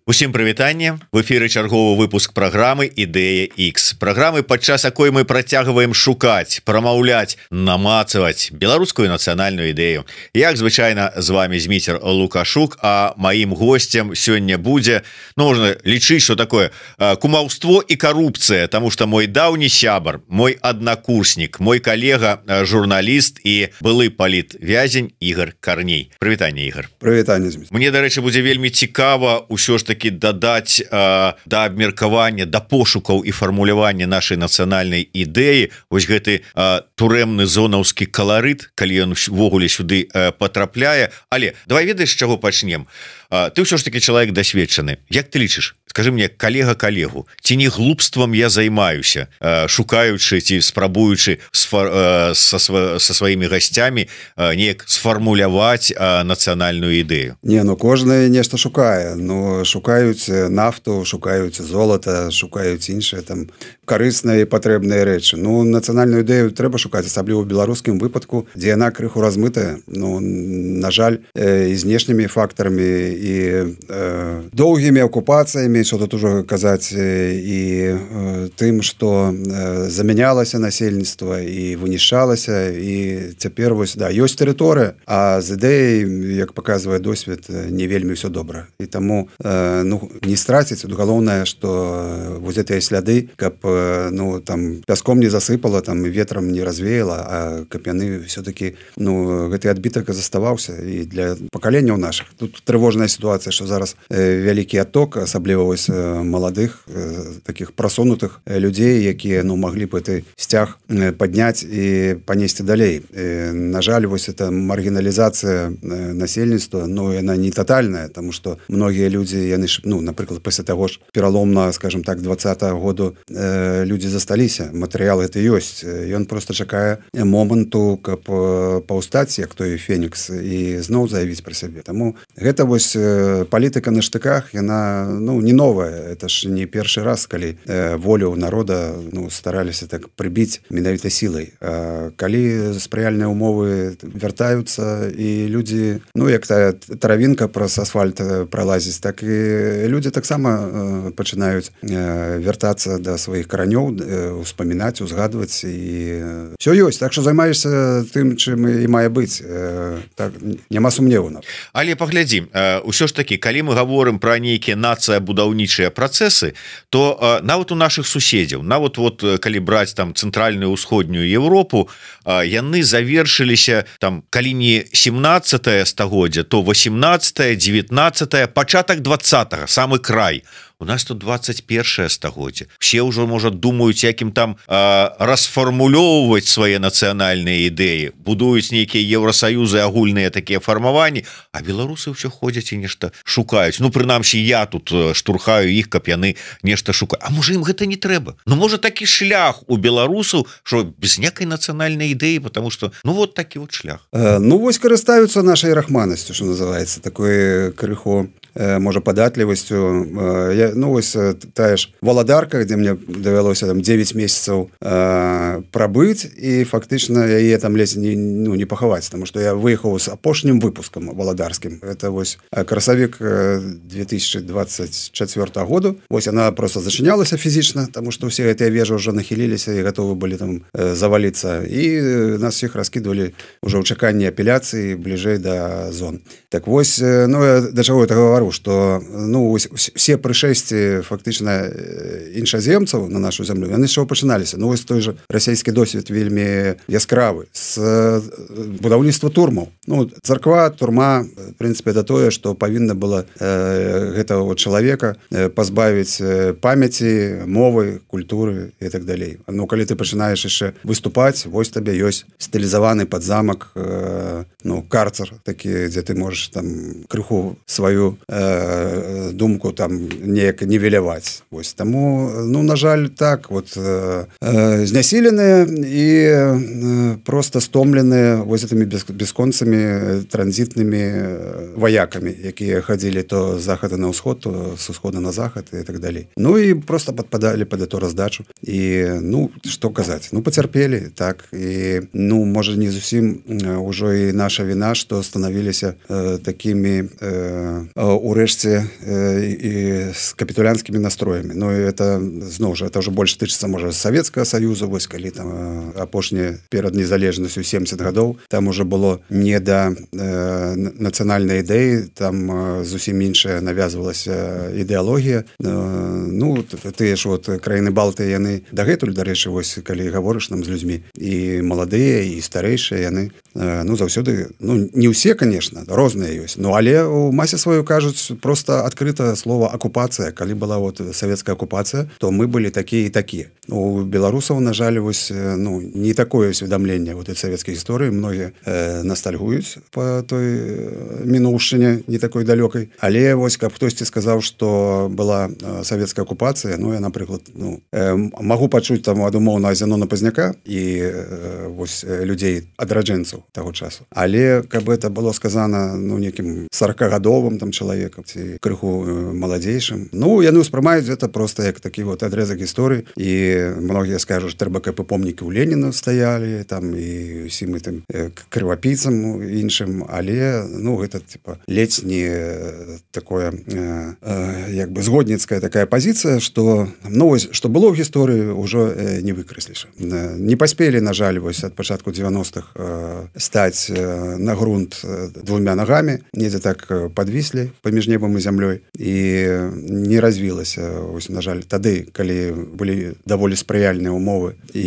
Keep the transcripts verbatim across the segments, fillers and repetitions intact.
Усім прывітанне, в эфіры чарговы выпуск праграмы Ідэя X. Праграмы, падчас якой мы працягваем шукаць, прамаўляць, намацаваць беларускую нацыянальную ідэю. Як звычайна з вами Зміцер Лукашук, а маім гостцем сёння будзе, ну, можна лічыць, што такое кумаўство і карупцыя, таму што мой даўні сябар, мой аднакурснік, мой калега, журналіст і былы палітвязень Ігор Карней. Прывітанне, Ігор. Прывітанне, Зміцер. Мне, дарэчы, будзе вельмі цікава ўсё ж таки дадаць э, да абмеркавання, да пошукаў і фармулявання нашай нацыянальнай ідэі вось гэты э, турэмны зонаўскі каларыт, калі ён увогуле сюды э, патрапляе. Але давай ведаеш, з чаго пачнем. э, Ты ўсё ж таки чалавек дасведчаны. Як ты лічыш? Скажи мне, калега калегу, ці не глупствам я займаюся, э, шукаючы ці спрабуючы сфар, э, са, са сваімі гасцямі э, неяк сфармуляваць э, нацыянальную ідэю? Не, ну кожны нешта шукае, ну шукаюць нафту, шукаюць золата, шукаюць іншыя там карысныя і патрэбныя рэчы. Ну нацыянальную ідэю трэба шукаць, асабліва ў беларускім выпадку, дзе яна крыху размытая. Ну на жаль, э, і знешнімі фактарамі і э, доўгімі акупацыямі, що тут ужо казаць, і э, тым, што э, замянялася насельніцтва і вынішчалася, і цяпер вось да, ёсць тэрыторыя, а з ідэяй, як паказвае досвед, не вельмі ўсё добра. І таму э, ну не страціць, галоўнае, што вось гэтыя сляды, каб ну там пяском не засыпала, там ветрам не развеяла, а каб яны все-таки ну гэты адбітак заставаўся і для пакаленняў нашых. Тут трывожная сітуацыя, што зараз э, вялікі адток, асабліва вось маладых э, таких прасунутых людзей, якія ну маглі б гэты сцяг падняць і панесці далей. Э, на жаль, вось эта маргіналізацыя насельніцтва, ну яна не тотальная, тому што многія людзі, яны ж, ну напрыклад, пасля таго ж пераломна, скажем так, двадцатага году э, людзі засталіся, матэрыял гэта ёсць. Ён просто чакае моманту, каб паўстаць, як той фенікс, і зноў заявіць пра сябе. Таму гэта вось палітыка на штыках, яна ну не новая, это ж не першы раз, калі э, волю народа ну стараліся так прыбіць менавіта сілай. А калі спрыяльныя умовы вяртаюцца і людзі, ну як тая травінка праз асфальт пралазіць, так і людзі таксама э, пачынаюць э, вяртацца да сваіх каранёў, э, успамінаць, узгадваць, і ўсё ёсць. Так што займаешся тым, чым і мае быць. Э, так, няма сумневу. Але паглядзім, э, ўсё ж такі, калі мы гаворым пра нейкія нацыя-будаўнічыя працэсы, то э, нават у нашых суседзяў, нават вот калі браць там цэнтральную ўсходнюю Европу, э, яны завершыліся там, калі не семнаццатае стагоддзя, то восемнаццатае, дзевятнаццатае, пачатак двадцатага, самы край. У нас тут двадцать першае стагоддзе. Все ўжо, можа, думаюць, якім там э, расфармулёўваць свае нацыянальныя ідэі, будуюць нейкія Еўрасаюзы, агульныя такія фармаванні, а беларусы ўсё ходзяць і нешта шукаюць. Ну, прынамсі, я тут штурхаю іх, каб яны нешта шукаюць. А можа, ім гэта не трэба? Ну, можа, такі шлях у беларусаў, што без некай нацыянальнай ідэі, потому што, ну, вот такі вот шлях. Э, ну, вось карыстаюцца нашай рахманасцю, што называецца, такой крыху можа падатлівасцю. Я, ну вось тая ж Валадарка, дзе мне давялося там дзевяць месяцаў э, прабыць, і фактычна яе там ледзь не, ну, не пахаваць, таму што я выехаў з апошнім выпускам валадарскім. Это вось красавік две тысячи двадцать четвёртага году. Вось яна просто зачынялася фізічна, таму што ўсе гэтыя вежы ўжо нахіліліся і гатовы былі там э, заваліцца, і нас всіх раскідвалі ўжо ў чаканні апеляцыі бліжэй да зон. Так вось, ну я да чаго это гавару, што ну все прышэсці фактычна іншаземцаў на нашу зямлю, яны з чаго пачыналіся. Ну вось той жа расійскі досвед вельмі яскравы з будаўніцтва турмаў. Ну царква, турма, в прынцыпе, это тое, што павінна было э, гэтага чалавека пазбавіць памяці, мовы, культуры і так далей. Ну калі ты пачынаеш яшчэ выступаць, вось табе ёсць стылізаваны пад замак э, ну карцер такі, дзе ты можаш там крыху сваю э, думку там неяк нівеляваць. Вось таму, ну на жаль, так вот э, э, знясіленыя і э, просто стомленыя вось гэтымі без, бесконцамі транзітнымі ваякамі, якія хадзілі то з захада на ўсход, то з усхода на захад і так далей. Ну і просто падпадалі под эту раздачу і ну што казаць, ну пацярпелі так і ну можа не зусім ўжо і наша віна, што станавіліся э, такімі э, урэшце э, і з капітулянскімі настроямі. Ну і это зноў жа это ўжо больш тычыцца можа Савецкага Саюза, вось калі там э, апошняе перад незалежнасцю семдзесят гадоў, там уже было не да э, нацыянальнай ідэі, там э, зусім іншая навязвалася ідэалогія. Э, ну тыя ж вот краіны Балты яны дагэтуль, дарэчы, вось калі гаворыш нам з людзьмі і маладыя і старэйшыя яны э, ну заўсёды ну не ўсе, конечно, розныя ёсць, ну але у масе сваю кажуць просто адкрыта слова акупацыя. Калі была вот савецкая акупацыя, то мы былі такія і такія. У беларусаў, на жаль, вось ну не такое усведамленне вот этой савецкай гісторыі. Многія э, ностальгуюць по той мінуўшчыне не такой далёкай, але вось каб хтосьці сказаў, што была савецкая акупацыя, ну я, напрыклад, ну э, магу пачуць там ад умоўнага Зянона Пазняка і э, вось людзей адраджэнцаў таго часу, але каб это было сказана ну некім сорокагадовым там чалавекам ці крыху маладзейшым, ну яны ўспрымаюць это просто як такі вот адрэзак гісторыі. І многія скажуць, трэба каб і помнікі ў Леніна стаялі там і усім гэтым крывапійцам іншым, але ну гэта типа ледзь не такое э, э, як бы згодніцкая такая пазіцыя, што ну вось што было ў гісторыі ўжо э, не выкрэсліш. Э, не паспелі, на жаль, вось ад пачатку дзевяностых э, стаць э, на грунт э, двумя нагамі, недзе так э, падвіслі паміж небам і зямлёй і не развілася вось, на жаль, тады, калі былі даволі спрыяльныя умовы і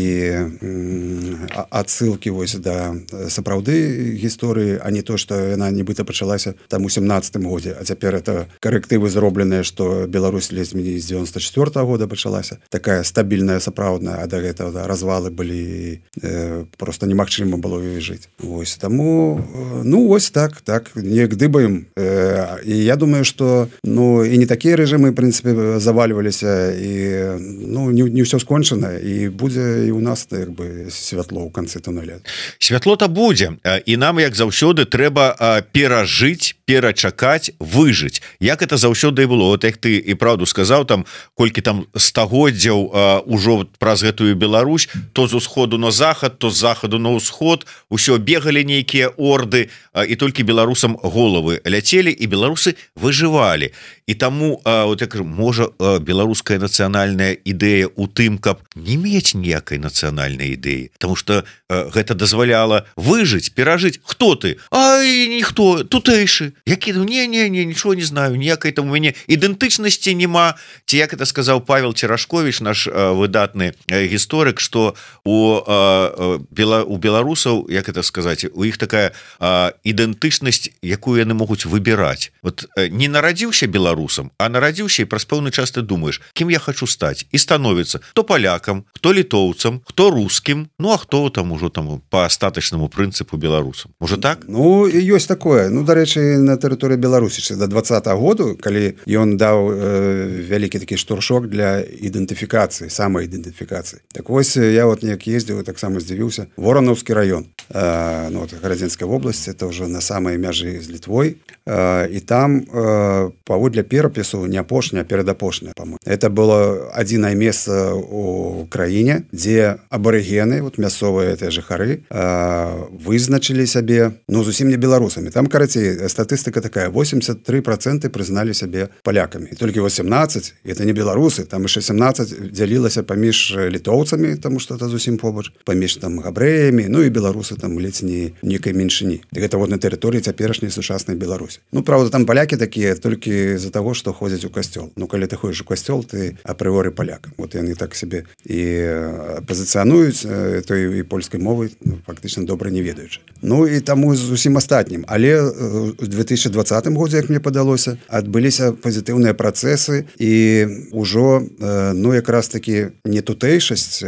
адсылкі вось да сапраўды гісторыі, а не то, што яна нібыта пачалася там у сямнаццатым годзе, а цяпер это карэктывы зробленыя, што Беларусь ледзь з девяносто четвёртого года пачалася такая стабільная сапраўдная, а да гэтага да, развалы былі э, просто немагчыма было жыць. Вось таму ну вось так так неяк дыбаем э, і я думаю, што ну і не такія рэжымы, в прынцыпе, завальваліся і ну не, не ўсё скончана і будзе і у нас як бы святло ў канцы туннеля. Святло-то будзе, і нам як заўсёды трэба перажыць, перачакаць, выжыць. Як это заўсёды і было. Вот як ты і правду сказаў, там колькі там стагоддзяў ужо праз гэтую Беларусь, то з усходу на захад, то з захаду на ўсход, усё бегалі нейкія орды, і толькі беларусам головы ляцелі, і беларусы выжывалі. І таму вот я кажу, можа беларуская нацыянальная ідэя у тым, каб не мець ніякай нацыянальнай ідэі, потому что гэта дазваляла выжыць, перажыць. Хто ты? Ай, ніхто, тутэйшы. Які не не не нічого не знаю, ніякай там у мяне ідэнтычнасці няма. Ці як это сказаў Павел Церашкович, наш выдатны гісторык, што у бела у беларусаў, як это сказаць, у іх такая ідэнтычнасць, якую яны могуць выбіраць. Вот не нарадзіўся беларусам, а нарадзіўся і праз пэўны час ты думаеш, кім я хочу стаць, і становіцца хто палякам, хто літоўцам, хто рускім, ну а хто там ужо там по астатачнаму прынцыпу беларусам. Можа так? Ну ёсць такое. Ну дарэчы, на тэрыторыі Беларусі да двадцатага году, калі ён даў э, вялікі такі штуршок для ідэнтыфікацыі, самаідэнтыфікацыі. Так вось я вот неяк ездзіў, таксама здзівіўся. Воронаўскі раён, э, ну, Гарадзенская вобласць, это ўжо на самай мяжы з Літвой, э, і там э, паводле перапісу не апошняе, а перадапошняе, па-моему. Это было адзінае месца у краіне, дзе абарыгены, вот мясцовыя гэтыя жыхары, э, вызначылі сябе, ну зусім не беларусамі. Там, карацей, статыстыка такая: восемьдесят три процента прызналі сябе палякамі. І толькі восемнадцать, это не беларусы, там яшчэ семнадцать дзялілася паміж літоўцамі, таму што это зусім побач, паміж там габрэямі, ну і беларусы там ледзь не нейкай меншыні. І гэта вот на тэрыторыі цяперашняй сучаснай Беларусі. Ну правда, там палякі такія толькі з-за таго, што ходзяць у касцёл. Ну калі ты ходзіш у касцёл, ты апрыоры паляк. Вот яны так сябе і пазіцыянуюць той і польскай мовы, ну, фактычна добра не ведаючы. Ну і таму з усім астатнім. Але у две тысячи двадцатым годзе, як мне падалося, адбыліся пазітыўныя працэсы і ўжо ну якраз такі не тутэйшасць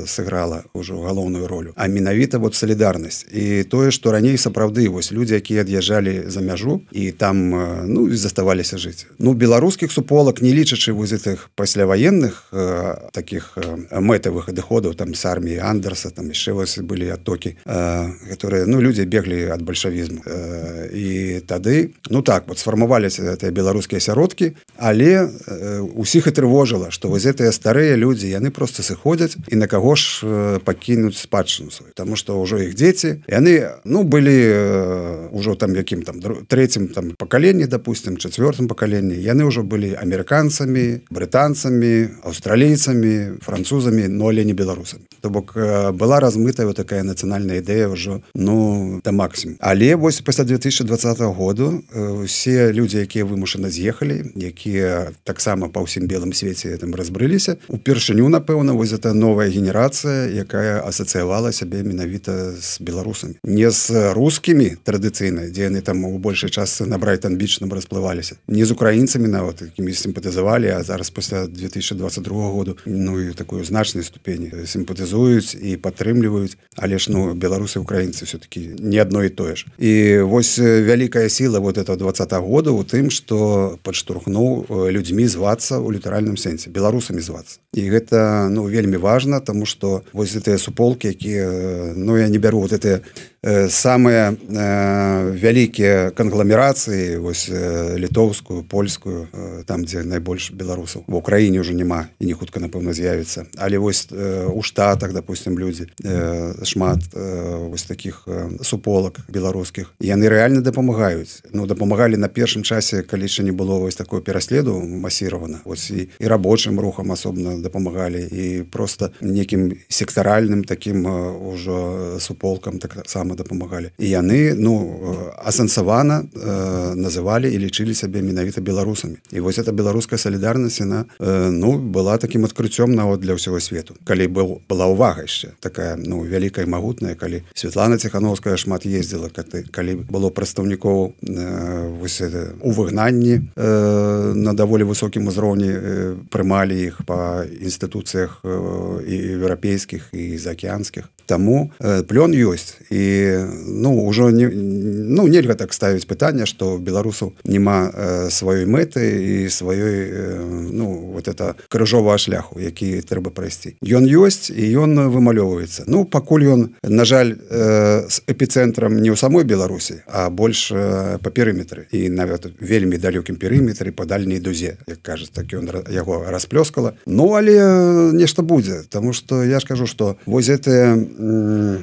сыграла ўжо галоўную ролю, а менавіта вот салідарнасць салідарнасць і тое што раней сапраўды вось людзі якія ад'язджалі за мяжу і там ну заставаліся жыць ну беларускіх суполак не лічачы вось гэтых пасляваенных э, таких э, мэтавых адыходаў там с арміі Андерса там яшчэ вось былі атокі э, которые ну людзі беглі ад бальшавізму э, і тады ну так вот сфармаваліся гэтыя беларускія сяродкі але э, усіх і трывожыла што вось гэтыя старыя людзі яны просто сыходзяць і на каго ж э, пакінуць спадчыну сваю тому что ўжо іх дзеці яны ну былі э, ўжо там якім там трэцім там пакаленні допустим чацвёртым пакаленні яны ўжо былі амерыканцамі брытанцамі аўстралійцамі французамі но але не беларусамі то бок э, была размытая вот такая нацыянальная ідэя ўжо ну да максімум але вось пасля две тысячи двадцатого году э, все людзі якія вымушана з'ехалі якія таксама па ўсім белым свеце там разбрыліся упершыню напэўна вось это новая генерацыя якая асацыявала сябе менавіта з беларусамі не з рускімі традыцыйна дзе яны там у большай частцы на Брайтон-Біч нам расплываліся не з украінцамі нават якімі сімпатызавалі а зараз пасля две тысячи двадцать другого году ну і такую значнай ступені сімпатызуюць і падтрымліваюць але ж ну беларусы украінцы все-таки не одно і тое ж і вось вялікая сіла вот этого двадцатого года у тым что падштурхнуў людзьмі звацца у літаральным сэнсе беларусамі звацца і гэта ну вельмі важна тому что вось гэтыя суполкі якія ну я не бяру вот это э, самыя э, вялікія кангламерацыі вось э, літоўскую польскую э, там дзе найбольш беларусаў в Украіне ўжо няма і не хутка напэўна з'явіцца але вось э, у штатах допустим людзі э, шмат э, вось таких э, суполак беларускіх яны рэальна дапамагаюць ну дапамагалі на першым часе калі яшчэ не было вось такое пераследу масіравана вось і, і рабочым рухам асобна дапамагалі і просто некім сектаральным таким ўжо суполкам так сама дапамагалі і яны ну асэнсавана э, называлі і лічылі сябе менавіта беларусамі і вось эта беларуская салідарнасць яна э, ну была таким адкрыццём нават для ўсяго свету калі был была ўвага яшчэ такая ну вялікая магутная калі Святлана Ціхановская шмат ездзіла калі было прадстаўнікоў э, вось это, у выгнанні э, на даволі высокім узроўні э, прымалі іх па інстытуцыях э, і еўрапейскіх і заакеанскіх таму э, плён ёсць і ну ўжо не ну нельга так ставіць пытанне што беларусаў няма э, сваёй мэты і сваёй э, ну вот это крыжовага шляху які трэба прайсці ён ёсць і ён вымалёўваецца ну пакуль ён на жаль э, з эпіцэнтрам не ў самой Беларусі а больш э, па перыметры і нават вельмі далёкім перыметры па дальняй дузе як кажуць так ён яго расплёскала ну але нешта будзе тому что я ж кажу что вось гэтая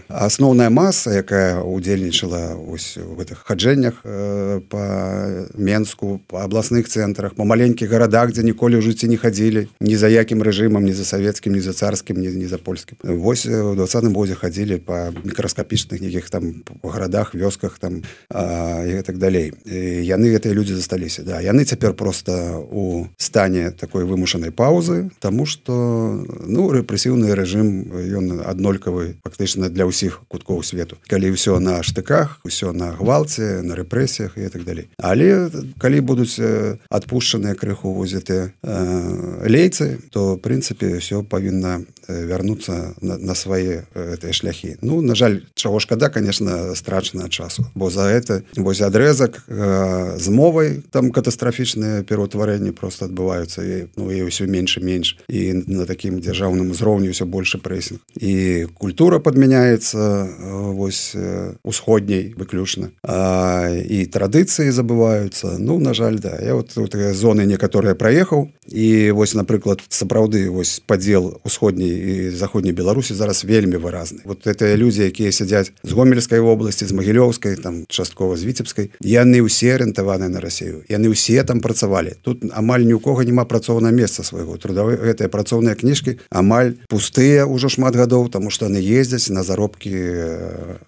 асноўная маса якая удзельнічала ось в гэтых хаджэннях э, па Менску па абласных цэнтрах па маленькіх гарадах дзе ніколі ў жыцці не хадзілі ні за якім рэжымам ні за савецкім ні за царскім ні, ні за польскім вось у двадцатым годзе хадзілі па мікраскапічных нейкіх там гарадах вёсках там а, і так далей і яны гэтыя людзі засталіся да яны цяпер просто у стане такой вымушанай паўзы тому что ну рэпрэсіўны рэжым ён аднолькавы фактычна для ўсіх куткоў свету калі ўсё на штыках усё на гвалце на рэпрэсіях і так далей але калі будуць адпушчаныя крыху возятыя э, лейцы то в прынцыпе все павінна вярнуцца на, на свае гэтыя шляхі ну на жаль чаго шкада конечно страчана часу бо за это вось адрэзак э, з мовай там катастрафічныя пераўтварэнні просто адбываюцца і ну і ўсё менш і менш і на такім дзяржаўным узроўні ўсё больше прэсінг і культура падмяняецца вось усходняй выключна а, і традыцыі забываюцца ну на жаль да я вот, вот зоны некаторыя праехаў і вось напрыклад сапраўды вось падзел усходняй і заходняй Беларусі зараз вельмі выразны вот это людзі якія сядзяць з гомельскай вобласці з магілёўскай там часткова з віцебскай яны ўсе арыентаваныя на Расію яны ўсе там працавалі тут амаль ні ў кого няма працоўнага месца свайго трудовы гэтыя працоўныя кніжкі амаль пустыя ўжо шмат гадоў тому что яны ездзяць на заробкі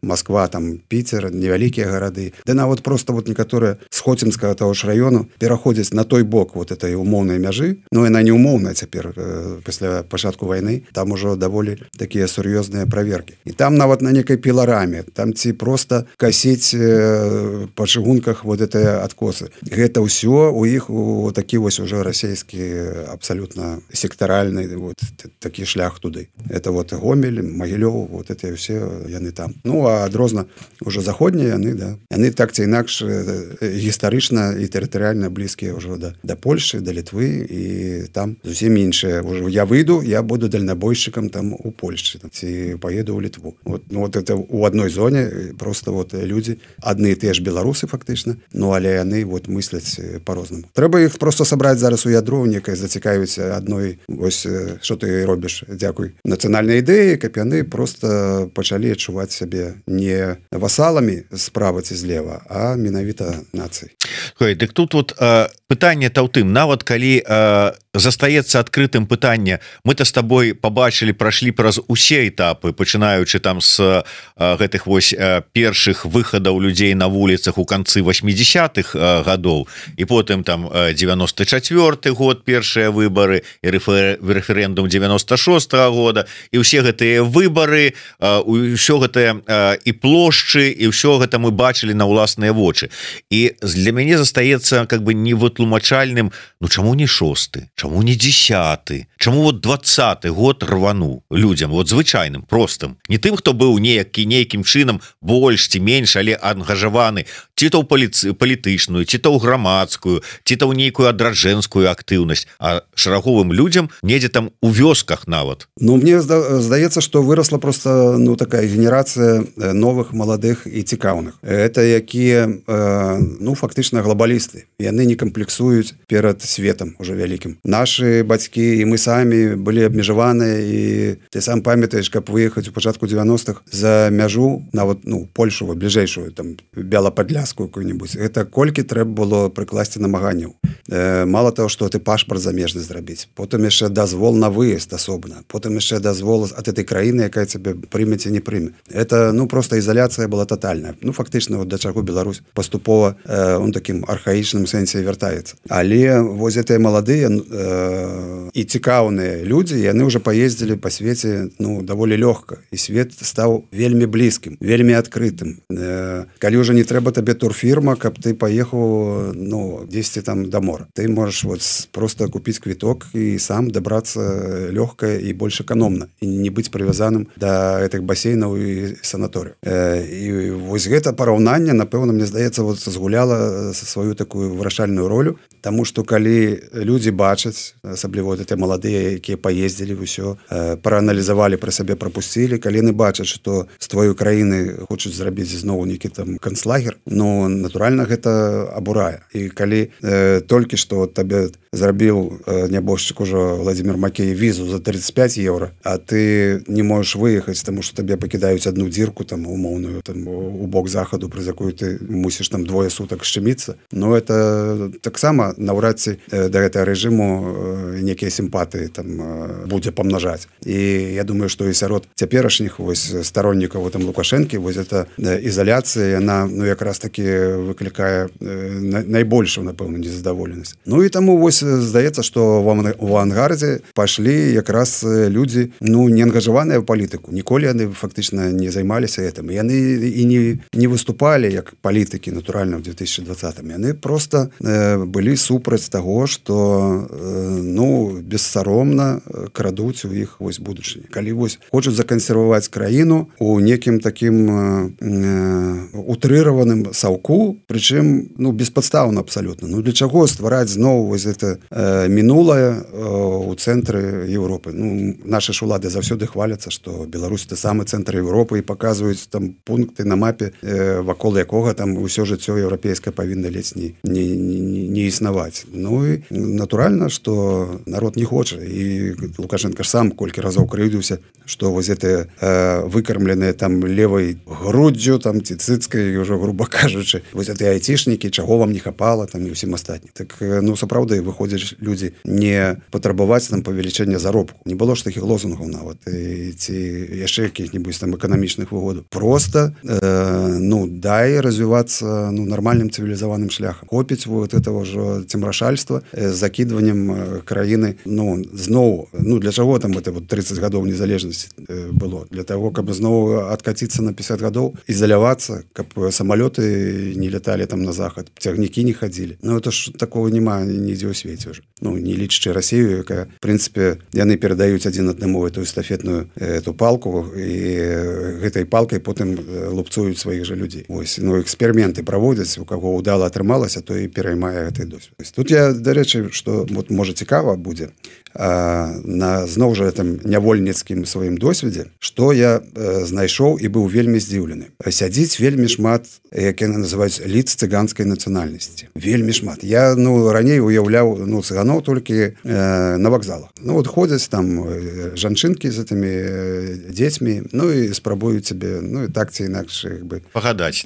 Москва там Піцер невялікія гарады да нават просто вот некаторыя з Хоцінскага таго ж раёну пераходзяць на той бок вот этой умоўнай мяжы но яна не умоўная цяпер э, пасля пачатку вайны там ужо даволі такія сур'ёзныя праверкі і там нават на некай пілараме там ці просто касіць э, па чыгунках вот это адкосы гэта ўсё у іх у такі вось уже расійскі абсалютна сектаральны вот такі шлях туды это вот Гомель Магілёў вот это все яны там ну а а адрозна ўжо заходнія яны да яны так ці інакш гістарычна і тэрытарыяльна блізкія ўжо да да Польшы, да Літвы і там зусім іншыя ўжо я выйду, я буду дальнабойшчыкам там у Польшчы ці поеду ў Літву. Вот, ну, вот это у адной зоне просто вот людзі адны і тыя ж беларусы фактычна, ну але яны вот мысляць по-рознаму. Трэба іх просто сабраць зараз у ядро, некае зацікавіць адной вось што ты робіш, дзякуй нацыянальнай ідэі, каб яны просто пачалі адчуваць сябе не васаламі справа ці злева, а менавіта нацыі. Ой, дык тут вот э, пытанне-то ў тым, нават калі э, застаецца адкрытым пытанне, мы-то з табой побачылі, прашлі праз усе этапы, пачынаючы там з э, гэтых вось э, першых выхадаў людзей на вуліцах у канцы восьмідзесятых э, гадоў, і потым там э, девяносто четвёрты год першыя выбары і рэфер... рэферэндум девяносто шостого года, і ўсе гэтыя выбары, э, ўсё гэтае э, і плошчы, і ўсё гэта мы бачылі на ўласныя вочы. І для мяне застаецца как бы невытлумачальным, ну чаму не шосты, чаму не десяты, чаму вот двадцаты год рвану людям, вот звычайным, простым, не тым, хто быў неякі нейкім чынам больш ці менш, але ангажаваны ці то ў паліцы, палітычную, ці то ў грамадскую, ці то ў нейкую адраджэнскую актыўнасць, а шараговым людям недзе там у вёсках нават. Ну мне здаецца, што вырасла просто ну такая генерацыя новых маладых і цікаўных. Это якія ну фактычна глобалісты, яны не камплексуюць перад светом уже вялікім. Нашы бацькі і мы самі былі абмежаваныя, і ты сам памятаеш, каб выехаць у пачатку девяностых за мяжу нават ну Польшу бліжэйшую там Бяла-Падляскую какую-нибудь, это колькі трэба было прыкласці намаганняў. Э, мало того, што ты пашпарт замежны зрабіць, потым яшчэ дазвол на выезд асобна, потым яшчэ дазвол ад этой краіны, якая цябе прыме ці не прыме. Это ну просто ізаляцыя была тотальная. Ну фактычна вот да чаго Беларусь паступова э, он такім архаічным сэнсе вяртаецца. Але вось гэтыя маладыя э, і цікаўныя людзі, яны ўжо паездзілі па свеце ну даволі лёгка, і свет стаў вельмі блізкім, вельмі адкрытым. Э, калі ўжо не трэба табе турфірма, каб ты паехаў ну дзесьці там да мора. Ты можаш вот просто купіць квіток і сам дабрацца лёгка і больш эканомна, і не быць прывязаным да гэтых басейнаў і санаторыяў. Э, і вось гэта параўнанне, напэўна, мне здаецца, вот згуляла сваю такую вырашальную ролю, таму што калі людзі бачаць, асабліва вот гэтыя маладыя, якія паездзілі ўсё, э, прааналізавалі пра сябе, прапусцілі, калі яны бачаць, што з тваёй краіны хочуць зрабіць зноў нейкі там канцлагер, ну натуральна гэта абурае. І калі э, толькі што табе зрабіў э, нябожчык ужо Владимир Макей візу за тридцать пять еўра, а ты не можаш выехаць, таму што табе пакідаюць одну дзірку там умоўную там у бок захаду, праз якую ты мусіш там двое сутак шчыміцца. Ну это таксама наўрад ці э, да гэтага рэжыму э, некія сімпатыі там э, будзе памнажаць. І я думаю, што і сярод цяперашніх вось староннікаў там Лукашэнкі вось эта э, ізаляцыя, яна ну якраз таки выклікае э, найбольшую, напэўна, незадаволенасць. Ну і таму вось здаецца, што в авангардзе пайшлі якраз людзі ну не ангажаваныя ў палітыку, ніколі яны фактычна не займаліся гэтым, яны і не, не выступалі як палітыкі натуральна ў две тысячи двадцатым, яны просто э, былі супраць таго, што э, ну бессаромна крадуць у іх вось будучыні, калі вось хочуць закансерваваць краіну у некім такім э, э, утрыраваным саўку, прычым ну беспадстаўна абсалютна. Ну для чаго ствараць зноў вось это э, мінулае э, у цэнтры Еўропы? Ну нашы ж улады заўсёды хваляцца, што Беларусь это самы цэнтр Еўропы, і паказваюць там пункты на мапе, э, вакол якога там усё жыццё еўрапейскае павінна ледзь не, не, не, не існаваць. Ну і натуральна, што народ не хоча, і Лукашенко ж сам колькі разоў крыўдзіўся, што вось гэтыя э, выкармленыя там левай груддзю там ці цыцкай, ўжо груба кажучы, вось гэтыя айцішнікі, чаго вам не хапала там і ўсім астатнім. Так ну сапраўды выходзяць людзі не патрабаваць там павелічэння заробку. Не было ж такіх лозунгаў нават і, ці яшчэ якіх-небудзь там эканамічных выгодаў. Просто э, ну дай развівацца ну нармальным цывілізаваным шляхам. Хопіць вот этого ж цемрашальства з закідваннем краіны. Ну зноў, ну для чаго там это вот тридцать гадоў незалежнасці было? Для того, каб зноў адкаціцца на пятьдесят гадоў, ізалявацца, каб самалёты не леталі там на захад, цягнікі не хадзілі. Ну это ж такого няма нідзе ў свеце ўжо. Ну не лічачы Расію, якая в прынцыпе яны перадаюць адзін аднаму эту эстафетную эту палку, і гэтай палкай палкай потым лупцуюць сваіх жа людзей. Вось, ну, эксперыменты праводзяць, у каго ўдала атрымалася, то і пераймае гэты досвед. Тут я, дарэчы, што вот, можа цікава будзе, а, на зноў жа там нявольніцкім сваім досведзе, што я а, знайшоў і быў вельмі здзіўлены. Сядзіць вельмі шмат, як яны называюць, ліц цыганскай нацыянальнасці. Вельмі шмат. Я, ну, раней уяўляў, ну, цыганоў толькі э, на вакзалах. Ну, вот ходзяць там жанчынкі з гэтымі дзецьмі, ну, і спрабуюць цябе, ну, і так ці інакш, як бы... Пагадаць.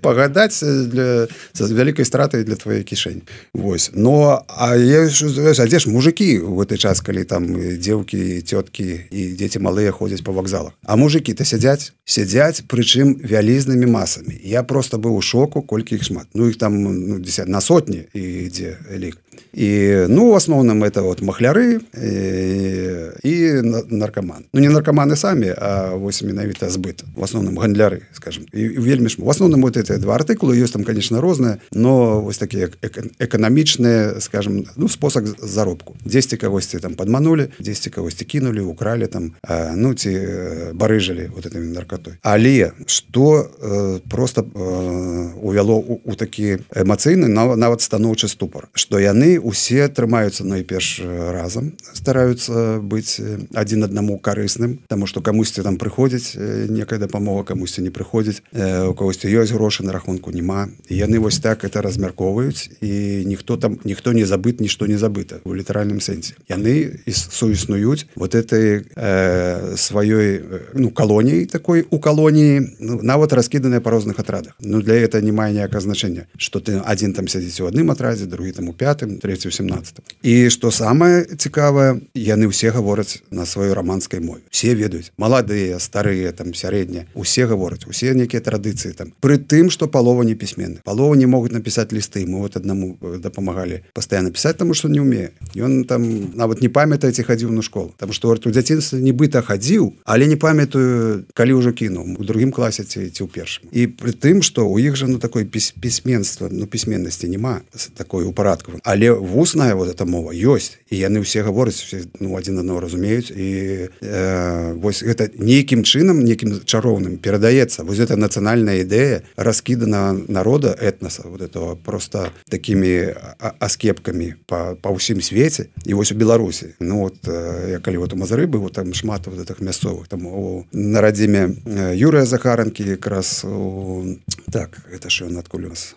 Пагадаць для, з вялікай стратай для твоей кішэні. Вось. Но, а я, а дзе ж мужики в гэты час, калі там дзеўкі, цёткі і дзеці малыя ходзяць па вакзалах. А мужики-то сядзяць, сядзяць, прычым вялізнымі масамі. Я просто быў у шоку, колькі іх шмат. Ну, іх там, ну, десят, на сотні ідзе лік. И, ну, в основном это вот махляры и, и наркоманы. Ну, не наркоманы сами, а вось менавіта збыт. В основном гандляры, скажем. И, и вельмі шмат. В основном вот эти два артыкулы, ёсць там, конечно, розныя, но вось такие экономичные, скажем, ну, способ заробку. Дзесьці кагосьці там подманули, дзесьці кагосьці кинули, украли там, а, ну, ці барыжили вот этой наркотой. Але что э, просто э, увяло у, у такі эмацыйны, нават станоўчы ступор, што яны усе трымаюцца найперш разам, стараюцца быць адзін аднаму карысным, таму што камусьці там прыходзіць некая дапамога, камусьці не прыходзіць, у кагосьці ёсць грошы, на рахунку няма. І яны вось так это размяркоўваюць, і ніхто там, ніхто не забыт, нішто не забыта у літаральным сэнсе. Яны суіснуюць вот этой э, сваёй, ну, калоніяй такой, у калоніі, ну, нават раскіданыя па розных атрадах. Ну, для этого не мае ніякага значэння, што ты адзін там сядзіць у адным атрадзе, другі там у пятым, трэці ў семнадцатым. І што самае цікавае, яны ўсе гавораць на сваёй раманскай мове. Усе ведаюць, маладыя, старыя, там, сярэднія, усе гавораць, усе некія традыцыі там. Пры тым, што палова не пісьменны. Палова не могуць напісаць лісты. Мы вот аднаму дапамагалі пастаянна пісаць, таму што не ўмее. Ён там нават не памятае, ці хадзіў на школу. Таму што у дзяцінстве нібыта хадзіў, але не памятаю, калі ўжо кінуў, у другім класе ці, ці ў першым. І пры тым, што у іх жа, ну, такой пісьменства, ну, пісьменнасці няма такой упарадкавай. Але вусная вот эта мова ёсць, і яны ўсе гавораць, все, ну, адзін аднаго разумеюць, і э, вось гэта нейкім чынам, нейкім чароўным перадаецца. Вось эта нацыянальная ідэя раскідана народа, этнаса, вот этого просто такімі аскепкамі па, па ўсім свеце. І вось у Беларусі, ну, вот, я калі вот у Мазыры быў, там шмат вот этих мясцовых, там у, на радзіме Юрыя Захаранкі, якраз у, так, это ж ён адкуль у нас,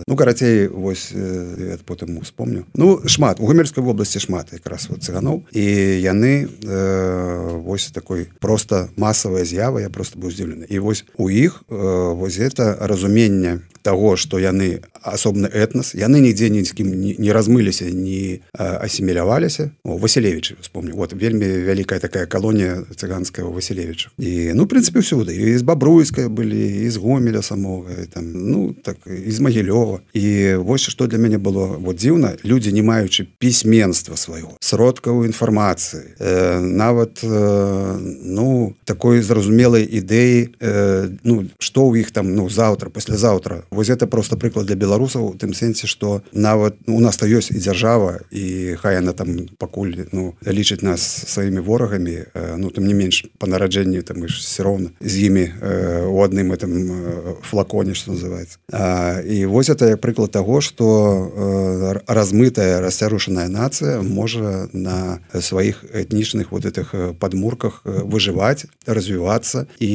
ну, карацей, вось, я потым успомню. Ну, шмат, у Гомельскай вобласці шмат якраз вот цыганоў, і яны э, вось такой просто масавая з'ява, я просто быў здзіўлены. І вось у іх э, вось это разуменне того, што яны асобны этнас, яны нідзе ні з кім не, не размыліся, не асіміляваліся. О, Васілевічы, вспомню, вот вельмі вялікая такая калонія цыганская у Васілевічах. І, ну, в прынцыпе, ўсюды. І з Бабруйскай былі, і з Гомеля самога, і там, ну, так, і з Магілёва. І вось што для мяне было вот дзіўна, людзі, не маючы пісьменства свайго, сродкаў інфармацыі, э, нават, э, ну, такой зразумелай ідэі, э, ну, што ў іх там, ну, заўтра, паслязаўтра. Вось это просто прыклад для беларусаў у тым сэнсе, што нават, ну, у нас-то ёсць і дзяржава, і хай яна там пакуль, ну, лічыць нас сваімі ворагамі, э, ну, тым не менш, па нараджэнні там мы ж все роўна з імі э, у адным этом э, флаконе, што называецца. А, і вось это прыклад таго, што э, размытая, расцярушаная нацыя можа на сваіх этнічных вот этих падмурках выжываць, развівацца і,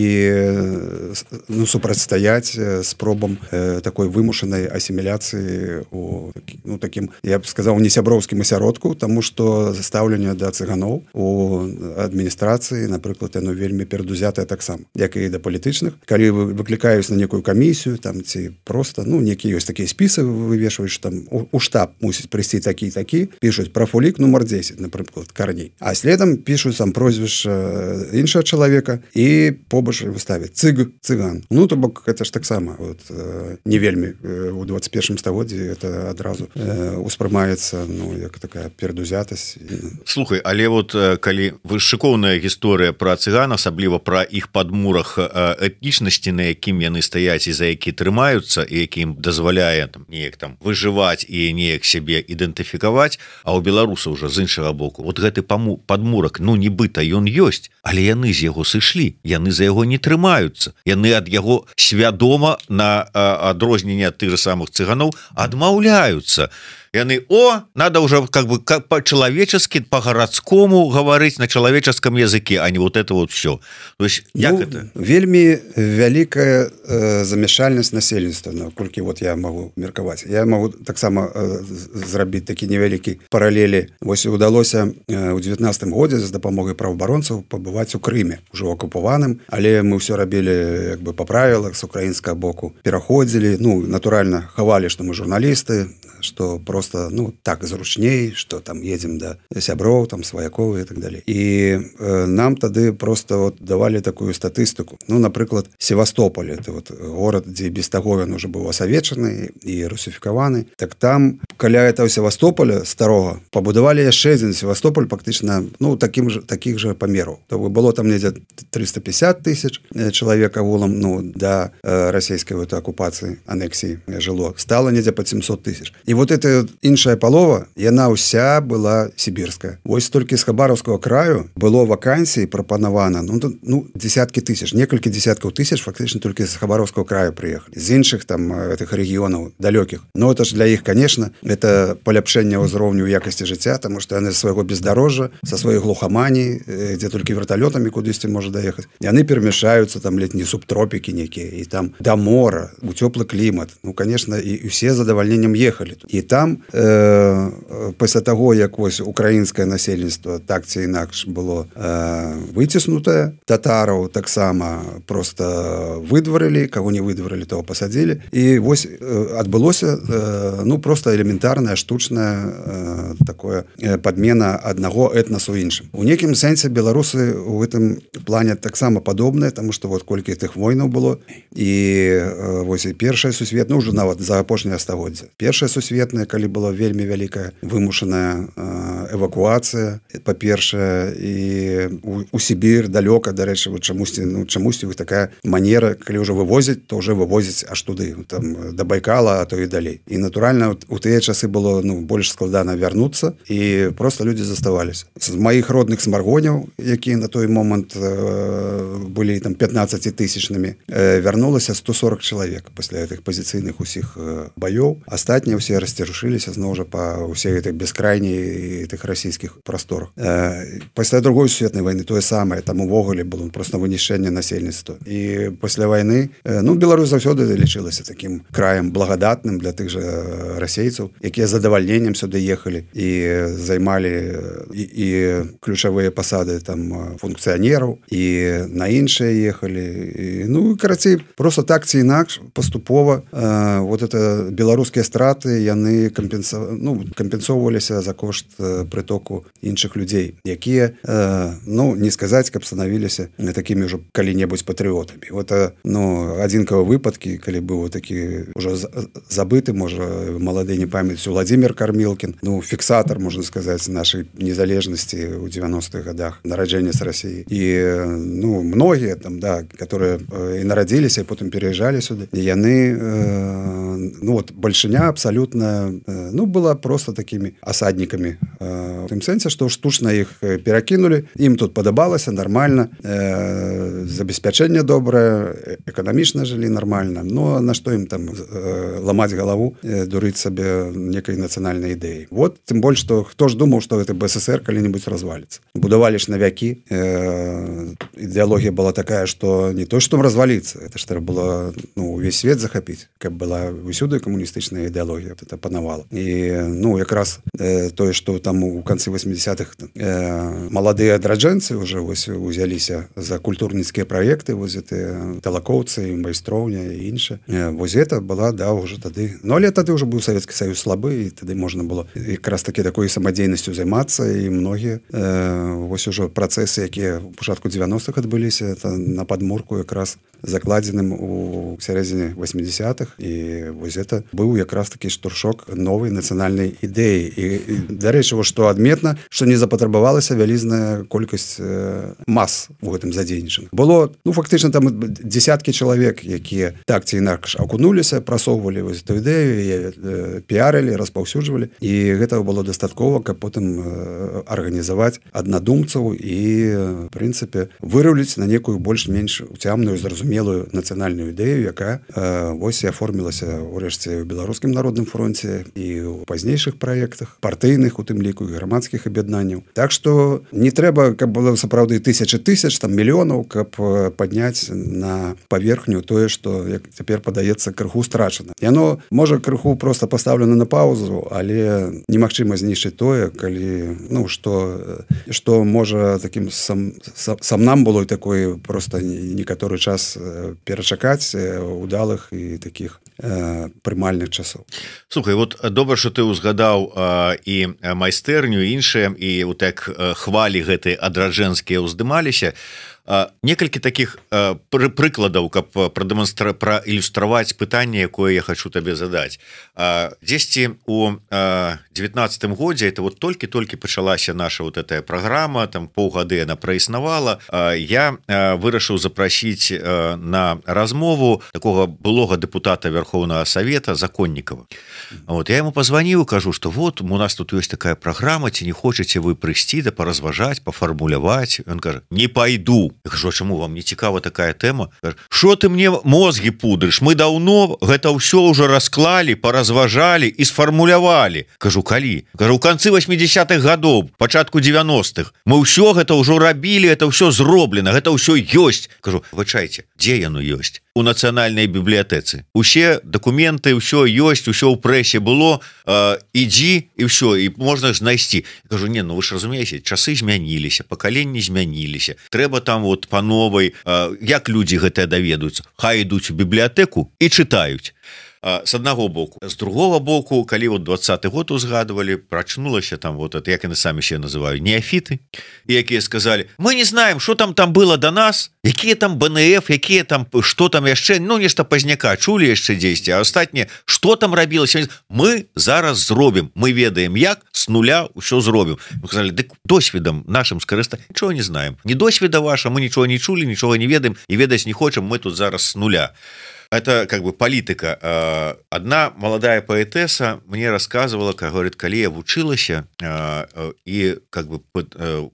ну, супрацьстаяць спробам э, такой вымушанай асіміляцыі у, ну, такім, я б сказаў, не сяброўскім асяродку, таму што стаўленне да цыганоў у адміністрацыі, напрыклад, яно вельмі перадузятае таксама, як і да палітычных. Калі вы выклікаюць на некую камісію, там, ці просто, ну, некія ёсць такія спісы вывешваюць, там у, у штаб мусіць прыйсці такі такі, пішуць прафулік нумар дзесяць, напрыклад, Карней. А следам пішуць сам прозвішча іншага чалавека і побач выставяць цыг, цыган. Ну, то бок, гэта ж таксама вот, не вельмі у двадцать первым стагоддзі это адразу э, успрымаецца, ну, як такая перадузятасць. Слухай, але вот калі вы шыкоўная гісторыя пра цыган, асабліва пра іх падмурах этнічнасці, на якім яны стаяць і за які трымаюцца і якім дазваляе там неяк там выжываць і неяк сябе ідэнтыфікаваць, а ў беларусаў уже з іншага боку вот гэты паму падмурак, ну нібыта ён ёсць, але яны з яго сышлі, яны за яго не трымаюцца, яны ад яго свядома на адрозненне ад тых же самых цыганоў адмаўляюцца. Яны, о, надо уже как бы по-человечески, по-городскому говорить на человеческом языке, а не вот это вот все. То есть, як ну, это? Вельми великая э, замешальность насельніцтва, наколькі вот я могу меркаваць. Я могу таксама э, зрабіць такі невялікі параллели. Вось удалося э, у девятнадцатым годзе з дапамогай праваабаронцаў пабываць у Крыме, ужо акупаваным, але мы ўсё рабілі як бы па правілах з украінскага боку. Пераходзілі, ну, натуральна, хавалі, што мы журналісты, что просто, ну, так зручней, что там едем до сяброў, там сваякоў и так далее. И э, нам тады просто вот давали такую статыстику. Ну, напрыклад, Севастополь, это вот город, где без таго он уже был асавечаны и русификаваны. Так там, каля этого Севастополя старого, побудовали яшчэ один Севастополь фактично, ну, таким же, таких же померов. То было там где-то триста пятьдесят тысяч человек агулам, ну, до э, российской вот оккупации, аннексии жило. Стало где-то под семьсот тысяч. И вот эта іншая палова, яна ўся была сибирская. Вось толькі з Хабаровского краю было вакансий прапанавана, ну, ну, десятки тысяч, несколько десятков тысяч фактично только из Хабаровского края приехали. Из іншых там этих регионов далеких. Но это же для их, конечно, это поляпшение ўзроўню якости жыцця, потому что они со своего бездорожья, со своей глухомании, где только вертолетами кудысьці может доехать, и они перемешаются, там летние субтропики некие, и там до мора, у теплый климат. Ну, конечно, и, и все с задовольнением ехали. І там э, пасля таго, як вось украінскае насельніцтва так ці інакш было э, выціснутае, татараў таксама просто выдварылі, каго не выдварылі, того пасадзілі. І вось э, адбылося э, ну просто элементарная штучная э, такое э, падмена аднаго этнасу іншым. У некім сэнсе беларусы у гэтым плане таксама падобныя, таму што вот колькі тых войнаў было і э, вось і першая сусветная, ўжо нават за апошняе стагоддзя. Першая сусветная, калі была вельмі вялікая вымушаная эвакуацыя, па-першае, і у, у Сібір далёка, дарэчы, вот чамусьці, ну, чамусьці такая манера, калі ўжо вывозіць, то ўжо вывозіць аж туды, там, да Байкала, а то і далей. І натуральна, у тыя часы было, ну, больш складана вярнуцца, і просто людзі заставаліся. З маіх родных смаргоняў, якія на той момант э, былі там пятнаццацітысячнымі, э, вярнулася сто сорок чалавек пасля гэтых пазіцыйных усіх э, баёў. Астатнія ўсе расцярушыліся зноў жа па ўсей гэтых бескрайней тых расійскіх прасторах. Э, пасля другой сусветнай вайны тое самае, там увогуле было просто вынішчэнне насельніцтва. І пасля вайны, э, ну, Беларусь заўсёды лічылася такім краем благадатным для тых жа расейцаў, якія з задавальненнем сюды ехалі і займалі і, і ключавыя пасады там функцыянераў, і на іншыя ехалі. І, ну, карацей, просто так ці інакш паступова э, вот это беларускія страты яны кампенса... ну, кампенсоўваліся за кошт э, прытоку іншых людзей, якія, э, ну, не сказаць, каб станавіліся такімі ўжо калі-небудзь патрыётамі. Вот, э, ну, адзінкавыя выпадкі, калі быў такі ўжо забыты, можа, малады не памяць, Владимир Кармілкін, ну, фіксатар, можна сказаць, нашай незалежнасці ў девяностых годах, нараджэння з России. І, ну, многія там, да, которые э, і нарадзіліся, і потым пераязджалі сюды, і яны, э, ну, вот, бальшыня абсолютно, ну, была просто такими осадниками. В тым сэнсе, што штучна іх перакінулі, ім тут падабалася нормально, э, забеспячэнне добрае, эканамічна жылі нормально, но на што ім там э, ламаць галаву, э, дурыць сабе некай нацыянальнай ідэі. Вот, тым больш, што хто ж думаў, што гэта БССР калі-нибудь разваліцца. Будавалі ж навякі, э, ідэалогія была такая, што не то, што разваліцца, это ж трэба было, ну, увесь свет захапіць, каб была усюды камуністычная ідэалогія, это панавала. І, ну, якраз э, тое, што там у канцы восьмидесятых э, маладыя адраджэнцы уже вось узяліся за культурніцкія праекты, вось гэтыя талакоўцы, майстроўня і інша. Э, вось гэта была, да, уже тады. Ну, але тады уже быў Савецкі Саюз слабы, і тады можна было якраз такі такой самадзейнасцю займацца, і многія э, вось ужо працэсы, якія ў пачатку девяностых адбыліся, это на падмурку якраз закладзеным у сярэдзіне восьмидесятых, і вось гэта быў якраз такі штуршок новых новай нацыянальнай ідэі. І, і дарэчы, што адметна, што не запатрабавалася вялізная колькасць мас у гэтым задзейнічаных. Было, ну, фактычна там десяткі чалавек, якія так ці інакш акунуліся, прасоўвалі вось эту ідэю, піарылі, распаўсюджвалі, і гэтага было дастаткова, каб потым арганізаваць аднадумцаў і, в прынцыпе, выраўліць на некую больш-менш уцямную, зразумелую нацыянальную ідэю, якая вось і аформілася ўрэшце ў беларускім народным фронце і ў пазнейшых праектах, партыйных, у тым ліку, і грамадскіх аб'яднанняў. Так што не трэба, каб было сапраўды тысячы тысяч, там мільёнаў, каб падняць на паверхню тое, што, як цяпер падаецца, крыху страчана. Яно, можа, крыху проста пастаўлена на паузу, але немагчыма знішчыць тое, калі, ну, што, што можа такім сам, сам нам было такой проста некаторы час перачакаць удалых і такіх прымальных часоў. Слухай, вот добра, што ты ўзгадаў і майстэрню, іншыя, і вот так хвалі гэтыя адраджэнскія ўздымаліся. Некалькі таких пры прыкладаў, каб прадэманстра праілюстраваць пытанне, якое я хочу табе задаць. Дзесьці у девятнадцатым годзе, это вот толькі-толькі пачалася наша вот эта праграма, там паўгады яна праіснавала, я вырашыў запрасіць на размову такого былога дэпутата Верховнага Савета Законнікава. Вот я ему позвонил, кажу, что вот у нас тут есть такая программа, ці не хочаце вы прыйсці да паразважаць, пафармуляваць. Он кажа: не пойду. Я кажу: а чаму вам не цікава такая тэма? Что ты мне мозги пудрыш? Мы даўно гэта ўсё ўжо расклалі, паразважалі і сфармулявалі. Кажу: калі? Кажу: у канцы восьмидесятых гадоў, пачатку девяностых. Мы ўсё гэта ўжо рабілі, это ўсё зроблена, гэта ўсё ёсць. Кажу: выбачайце, дзе яно ёсць? У нацыянальнай бібліятэцы. Усе дакументы, ўсё ёсць, усё ў прэсе было, э, ідзі і ўсё, і можна знайсці. Кажу: не, ну вы ж разумееце, часы змяніліся, пакаленні змяніліся. Трэба там вот по новой, э, як людзі гэтыя даведаюцца? Хай ідуць у бібліятэку і чытаюць. С аднаго боку. З другого боку, калі вот двадцаты год узгадывали, прачнулася там вот это, як яны самі себе называют, неофиты, якія сказали: мы не знаем, что там там было до нас, якія там бэ эн эф, якія там, что там яшчэ, ну нешта пазняка чулі яшчэ дзесьці, а астатняе, что там рабілася, мы зараз зробім, мы ведаем як, с нуля ўсё зробім. Мы сказали: дык досведам нашим скарыстаць, нічого не знаем, ни досведа ваша, мы нічого не чулі, нічого не ведаем і ведаць не хочам, мы тут зараз с нуля. Это как бы политика. Одна молодая поэтесса мне рассказывала, как говорит, коли я вучилася и как бы